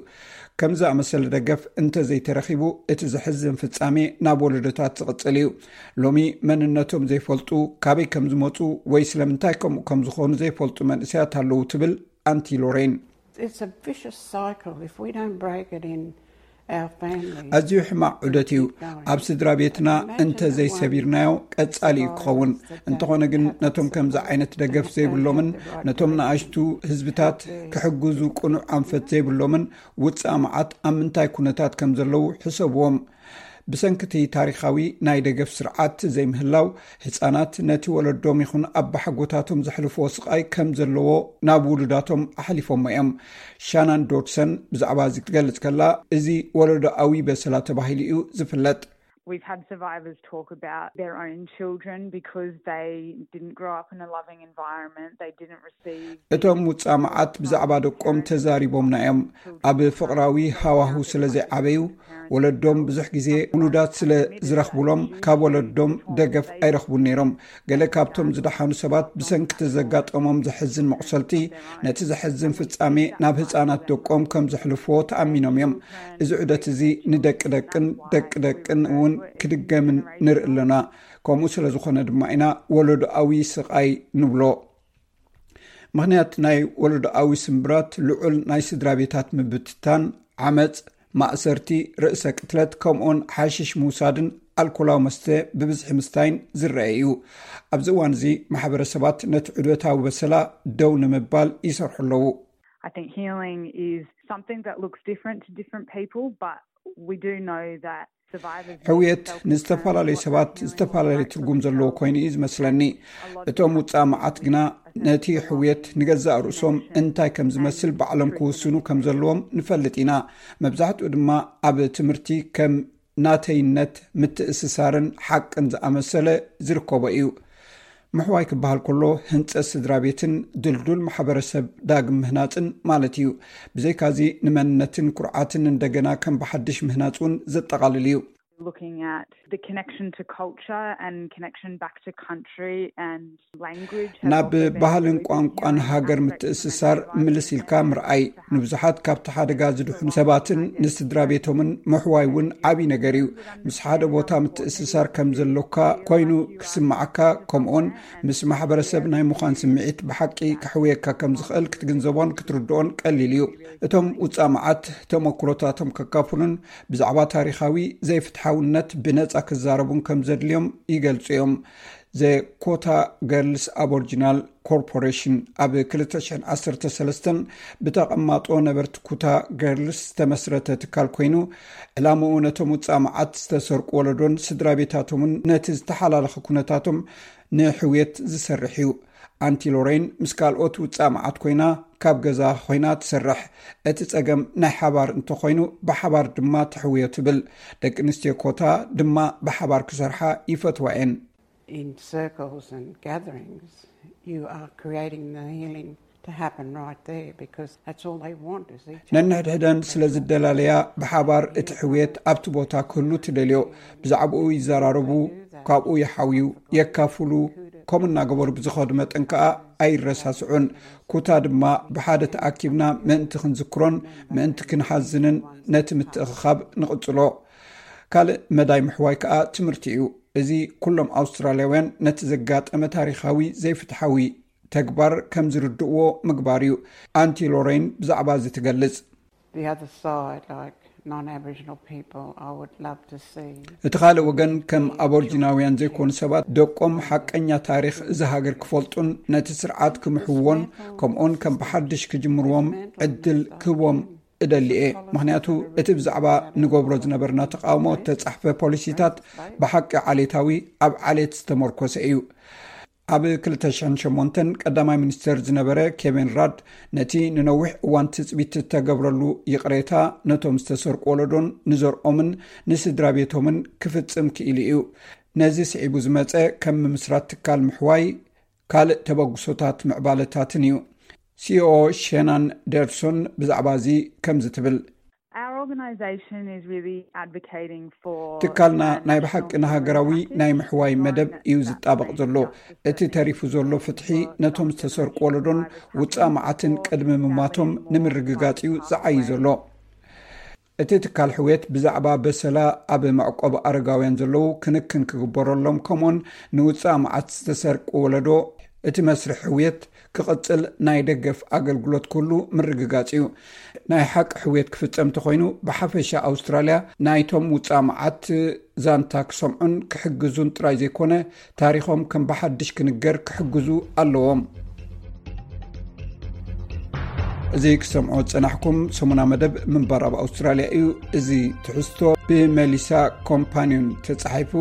ከምዚ ዝኣመሰለ ደገፍ እንተዘይተረኺቡ፣ እቲ ዘሕዝን ፍጻሜ ናብ ወለዶታት ዝቕጽል እዩ። ሎሚ መንነቶም ዘይፈልጡ፣ ካበይ ከም ዝመጹ ወይ ስለምንታይ ከምኡ ከም ዝኾኑ ዘይፈልጡ መንእሰያት ኣለዉ፣ ትብል ኣንቲ ሎሬን። It's a vicious cycle. If we don't break it in our families, ኣዝዩ ሕማቕ ዑደት እዩ። ኣብ ስድራ ቤትና እንተ ዘይሰቢርናዮ ቀጻሊ እዩ ክኸውን። እንተኾነ ግን፣ ነቶም ከምዚ ዓይነት ደገፍ ዘይብሎምን ነቶም ንኣሽቱ ህዝብታት ክሕግዙ ቅኑዕ ኣንፈት ዘይብሎምን ውጻእ መዓት ኣብ ምንታይ ኩነታት ከም ዘለዉ ሕሰብዎም። ብሰንኪ እቲ ታሪኻዊ ናይ ደገፍ ስርዓት ዘይምህላው፣ ህጻናት ነቲ ወለዶም ይኹን ኣባሓጎታቶም ዘሕልፍዎ ስቓይ ከም ዘለዎ ናብ ውሉዳቶም ኣሕሊፎሞ እዮም። ሻናን ዶድሰን ብዛዕባ እዚ ክትገልጽ ከላ፣ እዚ ወለዶኣዊ በሰላ ተባሂሉ እዩ ዝፍለጥ። We've had survivors talk about their own children because they didn't grow up in a loving environment, they didn't receive እቶም ውጻእ መዓት ብዛዕባ ደቆም ተዛሪቦምና እዮም። ኣብ ፍቕራዊ ሃዋሁ ስለ ዘይዓበዩ፣ ወለዶም ብዙሕ ግዜ ውሉዳት ስለ ዝረኽቡሎም ካብ ወለዶም ደገፍ ኣይረኽቡን ነይሮም። ገለ ካብቶም ዝደሓኑ ሰባት ብሰንኪ እቲ ዘጋጠሞም ዘሕዝን መቑሰልቲ፣ ነቲ ዘሕዝን ፍጻሜ ናብ ህጻናት ደቆም ከም ዘሕልፍዎ ተኣሚኖም እዮም። እዚ ዑደት እዚ ንደቂ ደቅን ደቂ ደቅን እውን ክድገምን ንርኢ ኣለና። ከምኡ ስለ ዝኾነ ድማ ኢና ወለዶኣዊ ስቓይ ንብሎ። ምኽንያት ናይ ወለዶኣዊ ስምብራት ልዑል ናይ ስድራ ቤታት ምብትታን፣ ዓመጽ፣ ማእሰርቲ፣ ርእሰ ቅትለት፣ ከምኡውን ሓሽሽ ምውሳድን ኣልኮላዊ መስተ ብብዝሒ ምስታይን ዝረአ እዩ። ኣብዚ እዋን እዚ ማሕበረሰባት ነቲ ዑደታዊ በሰላ ደው ንምባል ይሰርሑ ኣለዉ። I think healing is something that looks different to different people, but we do know that survivors need ሕውየት self-care and ንዝተፈላለዩ what ሰባት that healing ዝተፈላለየ looks like ትርጉም for ዘለዎ themselves. ኮይኑ እዩ ዝመስለኒ። እቶም ውጻእ መዓት ግና ነቲ ሕውየት ንገዛእ ርእሶም እንታይ ከም ዝመስል ባዕሎም ክውስኑ ከም ዘለዎም ንፈልጥ ኢና። መብዛሕትኡ ድማ ኣብ ትምህርቲ ከም ናተይነት ምትእስሳርን ሓቅን ዝኣመሰለ ዝርከቦ እዩ። ምሕዋይ ክበሃል ከሎ ህንጸት ስድራ ቤትን ድልዱል ማሕበረሰብ ዳግም ምህናጽን ማለት እዩ። ብዘይካዚ ንመንነትን ኩርዓትን እንደገና ከም ብሓድሽ ምህናጽ እውን ዘጠቓልል እዩ። Looking at the connection to culture and connection back to country and language has ናብ also been ባህልን really ቋንቋን healing ሃገር aspects ምትእስሳር of my life. ምልስ ኢልካ ምርኣይ፣ ንብዙሓት ካብቲ ሓደጋ ዝድሕኑ ሰባትን ንስድራ ቤቶምን ምሕዋይ እውን ዓብዪ ነገር እዩ። ምስ ሓደ ቦታ ምትእስሳር ከም ዘሎካ ኮይኑ ክስምዓካ፣ ከምኡውን ምስ ማሕበረሰብ ናይ ምዃን ስምዒት ብሓቂ ክሕውየካ ከም ዝኽእል ክትግንዘቦን ክትርድኦን ቀሊል እዩ። እቶም ውጻእ መዓት ተመክሮታቶም ከካፍሉን ብዛዕባ ታሪኻዊ ዘይፍትሓውነት ብነጻ ክዛረቡን ከም ዘድልዮም ይገልጹ እዮም። ዘ ኮታ ገርልስ ኣቦርጂናል ኮርፖሬሽን ኣብ ክልተ ሽሕን ዓሰርተ ሰለስተን ብተቐማጦ ነበርቲ ኩታ ገርልስ ዝተመስረተ ትካል ኮይኑ፣ ዕላምኡ ነቶም ውጻእ መዓት ዝተሰርቁ ወለዶን ስድራ ቤታቶምን ነቲ ዝተሓላለኸ ኩነታቶም ንሕውየት ዝሰርሕ እዩ። ኣንቲ ሎሬን ምስ ካልኦት ውጻእ መዓት ኮይና ካብ ገዛ ኮይና ትሰርሕ። እቲ ጸገም ናይ ሓባር እንተኾይኑ ብሓባር ድማ ትሕውዮ ትብል። ደቂ ኣንስትዮ ኮታ ድማ ብሓባር ክሰርሓ ይፈትዋ እየን። In circles and gatherings, you are creating the healing to happen right there because that's all they want is each other. ነንሕድሕደን ስለ ዝደላለያ ብሓባር እቲ ሕውየት ኣብቲ ቦታ ክህሉ ትደልዮ። ብዛዕባኡ ይዘራረቡ፣ ካብኡ ይሓውዩ፣ የካፍሉ። ከምኡ እናገበሩ ብዝኸዱ መጠን ከኣ ኣይረሳስዑን። ኩታ ድማ ብሓደ ተኣኪብና ምእንቲ ክንዝክሮን ምእንቲ ክንሓዝንን ነቲ ምትእኽኻብ ንቕጽሎ። ካልእ መዳይ ምሕዋይ ከኣ ትምህርቲ እዩ። እዚ ኩሎም ኣውስትራልያውያን ነቲ ዘጋጠመ ታሪኻዊ ዘይፍትሓዊ ተግባር ከም ዝርድእዎ ምግባር እዩ። ኣንቲ ሎሬን ብዛዕባ እዚ ትገልጽ። The other side, like non-Aboriginal people, I would love to see. እቲ ካልእ ወገን ከም ኣቦርጂናውያን ዘይኮኑ ሰባት ደቆም ሓቀኛ ታሪኽ እዚ ሃገር ክፈልጡን ነቲ ስርዓት ክምሕውዎን ከምኡውን ከም ብሓድሽ ክጅምርዎም ዕድል ክህቦም እደሊ እየ። ምኽንያቱ እቲ ብዛዕባ ንገብሮ ዝነበርና ተቃውሞ እተጻሕፈ ፖሊሲታት ብሓቂ ዓሌታዊ ኣብ ዓሌት ዝተመርኮሰ እዩ። ኣብ ክልተ ሽሕን ሸሞንተን ቀዳማይ ሚኒስተር ዝነበረ ኬቪን ራድ ነቲ ንነዊሕ እዋን ትጽቢት እተገብረሉ ይቕሬታ ነቶም ዝተሰርቁ ወለዶን ንዘርኦምን ንስድራ ቤቶምን ክፍጽም ክኢሉ እዩ። ነዚ ስዒቡ ዝመጸ ከም ምምስራት ትካል ምሕዋይ ካልእ ተበግሶታት ምዕባለታትን እዩ። ሲኦ ሸናን ደርሶን ብዛዕባ እዚ ከምዚ ትብል። Our organization is really advocating for ትካልና ናይ ብሓቂ ንሃገራዊ ናይ ምሕዋይ መደብ እዩ ዝጣበቕ ዘሎ። እቲ ተሪፉ ዘሎ ፍትሒ ነቶም ዝተሰርቁ ወለዶን ውፃእ መዓትን ቅድሚ ምማቶም ንምርግጋፅ እዩ ዝዓይ ዘሎ። እቲ ትካል ሕውየት ብዛዕባ በሰላ ኣብ መዕቆብ ኣረጋውያን ዘለዉ ክንክን ክግበረሎም፣ ከምኡን ንውፃእ መዓት ዝተሰርቁ ወለዶ እቲ መስርሕ ሕውየት ክቕፅል ናይ ደገፍ ኣገልግሎት ኩሉ ምርግጋፅ እዩ። ናይ ሓቂ ሕውየት ክፍፀም እንተኮይኑ፣ ብሓፈሻ ኣውስትራልያ ናይቶም ውፃእ መዓት ዛንታ ክሰምዑን ክሕግዙን ጥራይ ዘይኮነ፣ ታሪኾም ከም ብሓድሽ ክንገር ክሕግዙ ኣለዎም። እዚ ክሰምዖ ዝጸናሕኩም ሰሙና መደብ ምንባር ኣብ ኣውስትራልያ እዩ። እዚ ትሕዝቶ ብመሊሳ ኮምፓኒዮን ተጻሒፉ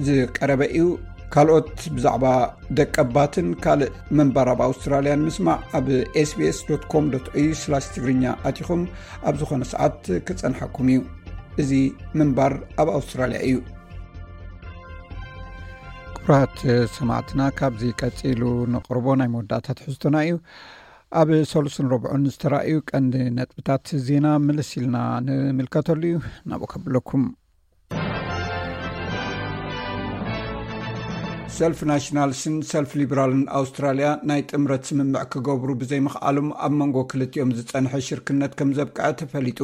ዝቀረበ እዩ። ካልኦት ብዛዕባ ደቀባትን ካልእ ምንባር ኣብ ኣውስትራልያን ምስማዕ ኣብ ኤስቢኤስ ኮም ዶት ኤዩ ትግርኛ ኣቲኹም ኣብ ዝኾነ ሰዓት ክጸንሓኩም እዩ። እዚ ምንባር ኣብ ኣውስትራልያ እዩ። ክቡራት ሰማዕትና፣ ካብዚ ቀጺሉ ንቕርቦ ናይ መወዳእታ ትሕዝቶና እዩ። ኣብ ሰሉስን ረብዑን ዝተራእዩ ቀንዲ ነጥብታት ዜና ምልስ ኢልና ንምልከተሉ እዩ። ናብኡ ከብለኩም። ሰልፍ ናሽናልስን ሰልፍ ሊበራልን ኣውስትራልያ ናይ ጥምረት ስምምዕ ክገብሩ ብዘይምኽኣሎም ኣብ መንጎ ክልቲኦም ዝጸንሐ ሽርክነት ከም ዘብቅዐ ተፈሊጡ።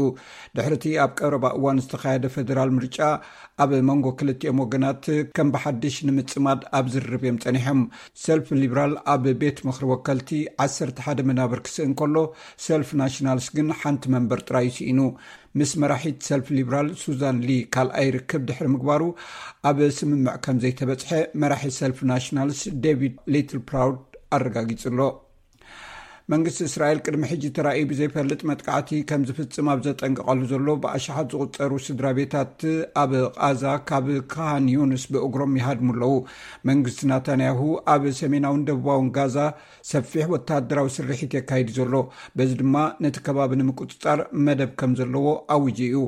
ድሕሪቲ ኣብ ቀረባ እዋን ዝተኻየደ ፌደራል ምርጫ ኣብ መንጎ ክልቲኦም ወገናት ከም ብሓድሽ ንምጽማድ ኣብ ዝርርብ እዮም ጸኒሖም። ሰልፍ ሊበራል ኣብ ቤት ምኽሪ ወከልቲ ዓሰርተ ሓደ መናብር ክስእን ከሎ፣ ሰልፍ ናሽናልስ ግን ሓንቲ መንበር ጥራይ ስኢኑ። ምስ መራሒት ሰልፍ ሊበራል ሱዛን ሊ ካልኣይ ርክብ ድሕሪ ምግባሩ ኣብ ስምምዕ ከም ዘይተበጽሐ መራሒ ሰልፍ ናሽናልስ ዴቪድ ሊትል ፕራውድ ኣረጋጊጹ ኣሎ። መንግስቲ እስራኤል ቅድሚ ሕጂ ተራእዩ ብዘይፈልጥ መጥቃዕቲ ከም ዝፍጽም ኣብ ዘጠንቀቐሉ ዘሎ፣ ብኣሽሓት ዝቑጸሩ ስድራ ቤታት ኣብ ቓዛ ካብ ካን ዩንስ ብእግሮም ይሃድሙ ኣለዉ። መንግስቲ ናታንያሁ ኣብ ሰሜናውን ደቡባውን ጋዛ ሰፊሕ ወታደራዊ ስርሒት የካይድ ዘሎ፣ በዚ ድማ ነቲ ከባቢ ንምቁጽጻር መደብ ከም ዘለዎ ኣውጁ እዩ።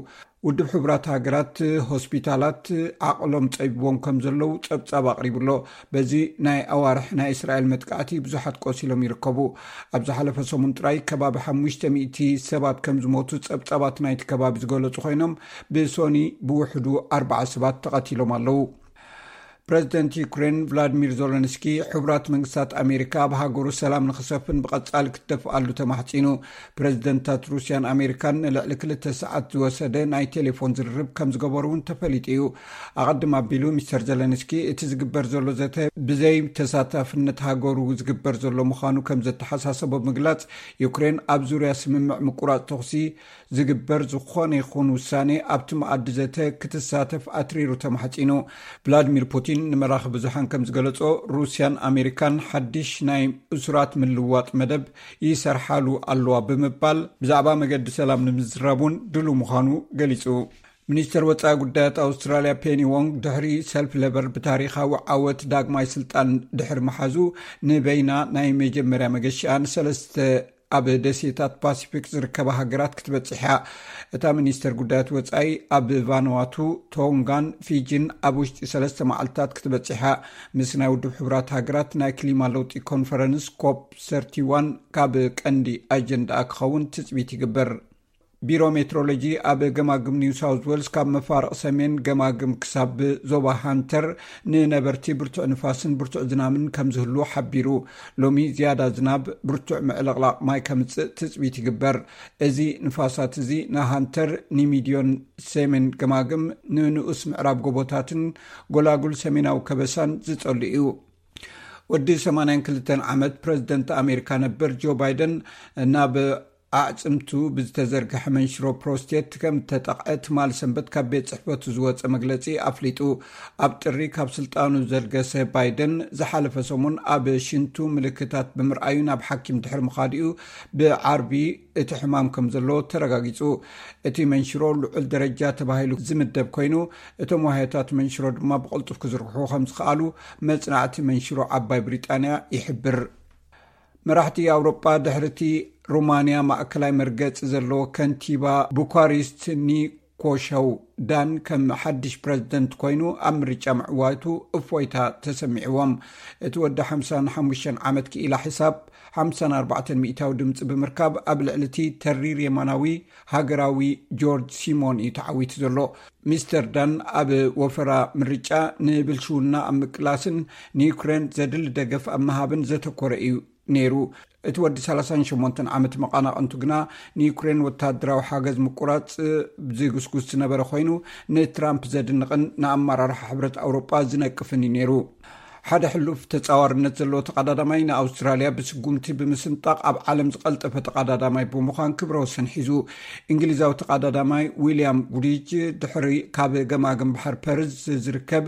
ውድብ ሕቡራት ሃገራት ሆስፒታላት ዓቕሎም ጸቢቦም ከም ዘለዉ ጸብጻብ ኣቕሪቡ ኣሎ። በዚ ናይ ኣዋርሕ ናይ እስራኤል መጥቃዕቲ ብዙሓት ቆሲሎም ይርከቡ። ኣብ ዝሓለፈ ሰሙን ጥራይ ከባቢ ሓሙሽተ ሚእቲ ሰባት ከም ዝሞቱ ጸብጻባት ናይቲ ከባቢ ዝገለጹ ኮይኖም፣ ብሶኒ ብውሕዱ ኣርባዓ ሰባት ተቐቲሎም ኣለዉ። ፕረዚደንት ዩክሬን ቭላድሚር ዞለንስኪ፣ ሕቡራት መንግስታት ኣሜሪካ ኣብ ሃገሩ ሰላም ንኽሰፍን ብቐጻሊ ክትደፍኣሉ ተማሕጺኑ። ፕረዚደንታት ሩስያን ኣሜሪካን ንልዕሊ ክልተ ሰዓት ዝወሰደ ናይ ቴሌፎን ዝርርብ ከም ዝገበሩ እውን ተፈሊጡ እዩ። ኣቐድም ኣቢሉ ሚስተር ዘለንስኪ፣ እቲ ዝግበር ዘሎ ዘተ ብዘይ ተሳታፍነት ሃገሩ ዝግበር ዘሎ ምዃኑ ከም ዘተሓሳሰቦ ብምግላጽ፣ ዩክሬን ኣብ ዙርያ ስምምዕ ምቁራጽ ተኹሲ ዝግበር ዝኾነ ይኹን ውሳኔ ኣብቲ መኣዲ ዘተ ክትሳተፍ ኣትሪሩ ተማሕጺኑ። ቭላድሚር ፑቲን ንመራኺ ብዙሓን ከም ዝገለጾ፣ ሩስያን ኣሜሪካን ሓድሽ ናይ እሱራት ምልውዋጥ መደብ ይሰርሓሉ ኣለዋ ብምባል፣ ብዛዕባ መገዲ ሰላም ንምዝራብ እውን ድሉው ምዃኑ ገሊጹ። ሚኒስተር ወጻኢ ጉዳያት ኣውስትራልያ ፔኒ ዎንግ፣ ድሕሪ ሰልፍ ለበር ብታሪኻዊ ዓወት ዳግማይ ስልጣን ድሕሪ ምሓዙ፣ ንበይና ናይ መጀመርያ መገሽኣ ንሰለስተ ኣብ ደሴታት ፓሲፊክ ዝርከባ ሃገራት ክትበጽሕ እያ። እታ ሚኒስተር ጉዳያት ወጻኢ ኣብ ቫኑዋቱ፣ ቶንጋን ፊጂን ኣብ ውሽጢ ሰለስተ መዓልታት ክትበጽሕ እያ። ምስ ናይ ውድብ ሕቡራት ሃገራት ናይ ክሊማ ለውጢ ኮንፈረንስ ኮፕ ሰርቲ ዋን ካብ ቀንዲ ኣጀንዳኣ ክኸውን ትጽቢት ይግበር። ቢሮ ሜትሮሎጂ ኣብ ገማግም ኒው ሳውዝ ዌልስ፣ ካብ መፋርቕ ሰሜን ገማግም ክሳብ ዞባ ሃንተር፣ ንነበርቲ ብርቱዕ ንፋስን ብርቱዕ ዝናምን ከም ዝህሉ ሓቢሩ። ሎሚ ዝያዳ ዝናብ፣ ብርቱዕ ምዕልቕላቕ ማይ ከምጽእ ትጽቢት ይግበር። እዚ ንፋሳት እዚ ንሃንተር፣ ንሚድዮን ሰሜን ገማግም፣ ንንኡስ ምዕራብ ጎቦታትን ጎላጉል ሰሜናዊ ከበሳን ዝጸሉ እዩ። ወዲ ሰማንያን ክልተን ዓመት ፕረዚደንት ኣሜሪካ ነበር ጆ ባይደን፣ ናብ ኣዕጽምቱ ብዝተዘርግሐ መንሽሮ ፕሮስቴት ከም እተጠቕዐ ትማል ሰንበት ካብ ቤት ጽሕፈቱ ዝወጸ መግለጺ ኣፍሊጡ። ኣብ ጥሪ ካብ ስልጣኑ ዘልገሰ ባይደን፣ ዝሓለፈ ሰሙን ኣብ ሽንቱ ምልክታት ብምርኣዩ ናብ ሓኪም ድሕሪ ምኻዱ'ዩ ብዓርቢ እቲ ሕማም ከም ዘሎ ተረጋጊጹ። እቲ መንሽሮ ልዑል ደረጃ ተባሂሉ ዝምደብ ኮይኑ፣ እቶም ዋህዮታት መንሽሮ ድማ ብቕልጡፍ ክዝርግሑ ከም ዝኸኣሉ መጽናዕቲ መንሽሮ ዓባይ ብሪጣንያ ይሕብር። መራሕቲ ኣውሮጳ፣ ድሕሪቲ ሩማንያ ማእከላይ መርገጺ ዘለዎ ከንቲባ ቡካሪስት ኒኮሸው ዳን ከም ሓድሽ ፕረዚደንት ኮይኑ ኣብ ምርጫ ምዕዋቱ እፎይታ ተሰሚዕዎም። እቲ ወዲ ሓምሳን ሓሙሽተን ዓመት ክኢላ ሕሳብ፣ ሓምሳን ኣርባዕተን ሚእታዊ ድምፂ ብምርካብ ኣብ ልዕሊ እቲ ተሪር የማናዊ ሃገራዊ ጆርጅ ሲሞን እዩ ተዓዊቱ ዘሎ። ሚስተር ዳን ኣብ ወፈራ ምርጫ ንብልሽውና ኣብ ምቅላስን ንዩክሬን ዘድሊ ደገፍ ኣብ ምሃብን ዘተኮረ እዩ ነይሩ። እቲ ወዲ ሰላሳን ሸሞንተን ዓመት መቓናቕንቱ ግና ንዩክሬን ወታደራዊ ሓገዝ ምቁራፅ ዝጉስጉስ ዝነበረ ኮይኑ፣ ንትራምፕ ዘድንቕን ንኣመራርሓ ሕብረት ኣውሮጳ ዝነቅፍን እዩ ነይሩ። ሓደ ሕሉፍ ተጻዋርነት ዘለዎ ተቐዳዳማይ ንኣውስትራልያ ብስጉምቲ ብምስንጣቕ ኣብ ዓለም ዝቐልጠፈ ተቐዳዳማይ ብምዃን ክብረ ወሰን ሒዙ። እንግሊዛዊ ተቐዳዳማይ ዊልያም ጉዲጅ ድሕሪ ካብ ገማግም ባሕር ፐርዝ ዝርከብ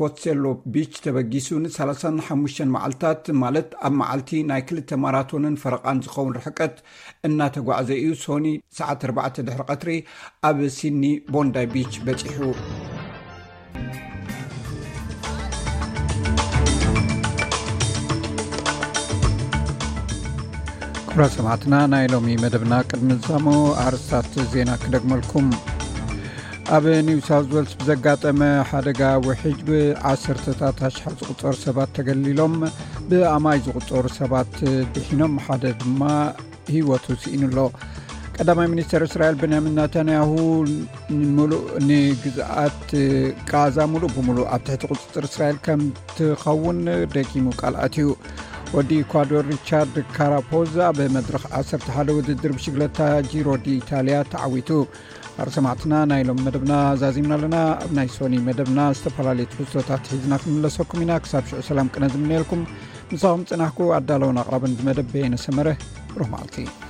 ኮትሴሎ ቢች ተበጊሱ ን ሰላሳን ሓሙሽተን መዓልታት፣ ማለት ኣብ መዓልቲ ናይ ክልተ ማራቶንን ፈረቓን ዝኸውን ርሕቀት እናተጓዕዘ እዩ ሶኒ ሰዓት ኣርባዕተ ድሕሪ ቀትሪ ኣብ ሲድኒ ቦንዳይ ቢች በጺሑ። ክቡራት ሰማዕትና፣ ናይ ሎሚ መደብና ቅድሚ ዝዛሞ ኣርስታት ዜና ክደግመልኩም። ኣብ ኒው ሳውዝ ዌልስ ብዘጋጠመ ሓደጋ ውሕጅ ብዓሰርተታት ኣሽሓት ዝቑጸሩ ሰባት ተገሊሎም፣ ብኣማይ ዝቑጸሩ ሰባት ድሒኖም፣ ሓደ ድማ ህይወቱ ስኢኑ ኣሎ። ቀዳማይ ሚኒስተር እስራኤል ቤንያሚን ናታንያሁ፣ ንምሉእ ንግዝኣት ቃዛ ሙሉእ ብሙሉእ ኣብ ትሕቲ ቁጽጽር እስራኤል ከም ትኸውን ደጊሙ ቃል ኣትዩ። ወዲ ኢኳዶር ሪቻርድ ካራፖዝ ኣብ መድረኽ ዓሰርተ ሓደ ውድድር ብሽግለታ ጂሮ ዲ ኢታልያ ተዓዊቱ። ኣር ሰማዕትና፣ ናይ ሎም መደብና ዛዚምና ኣለና። ኣብ ናይ ሶኒ መደብና ዝተፈላለዩ ትሕዝቶታት ሒዝና ክንምለሰኩም ኢና። ክሳብ ሽዑ ሰላም ቅነ ዝምነየልኩም። ምሳኹም ጽናሕኩ ኣዳለውን ኣቕራብን ዝመደብ በየነ ሰመረ። ብሩህ መዓልቲ።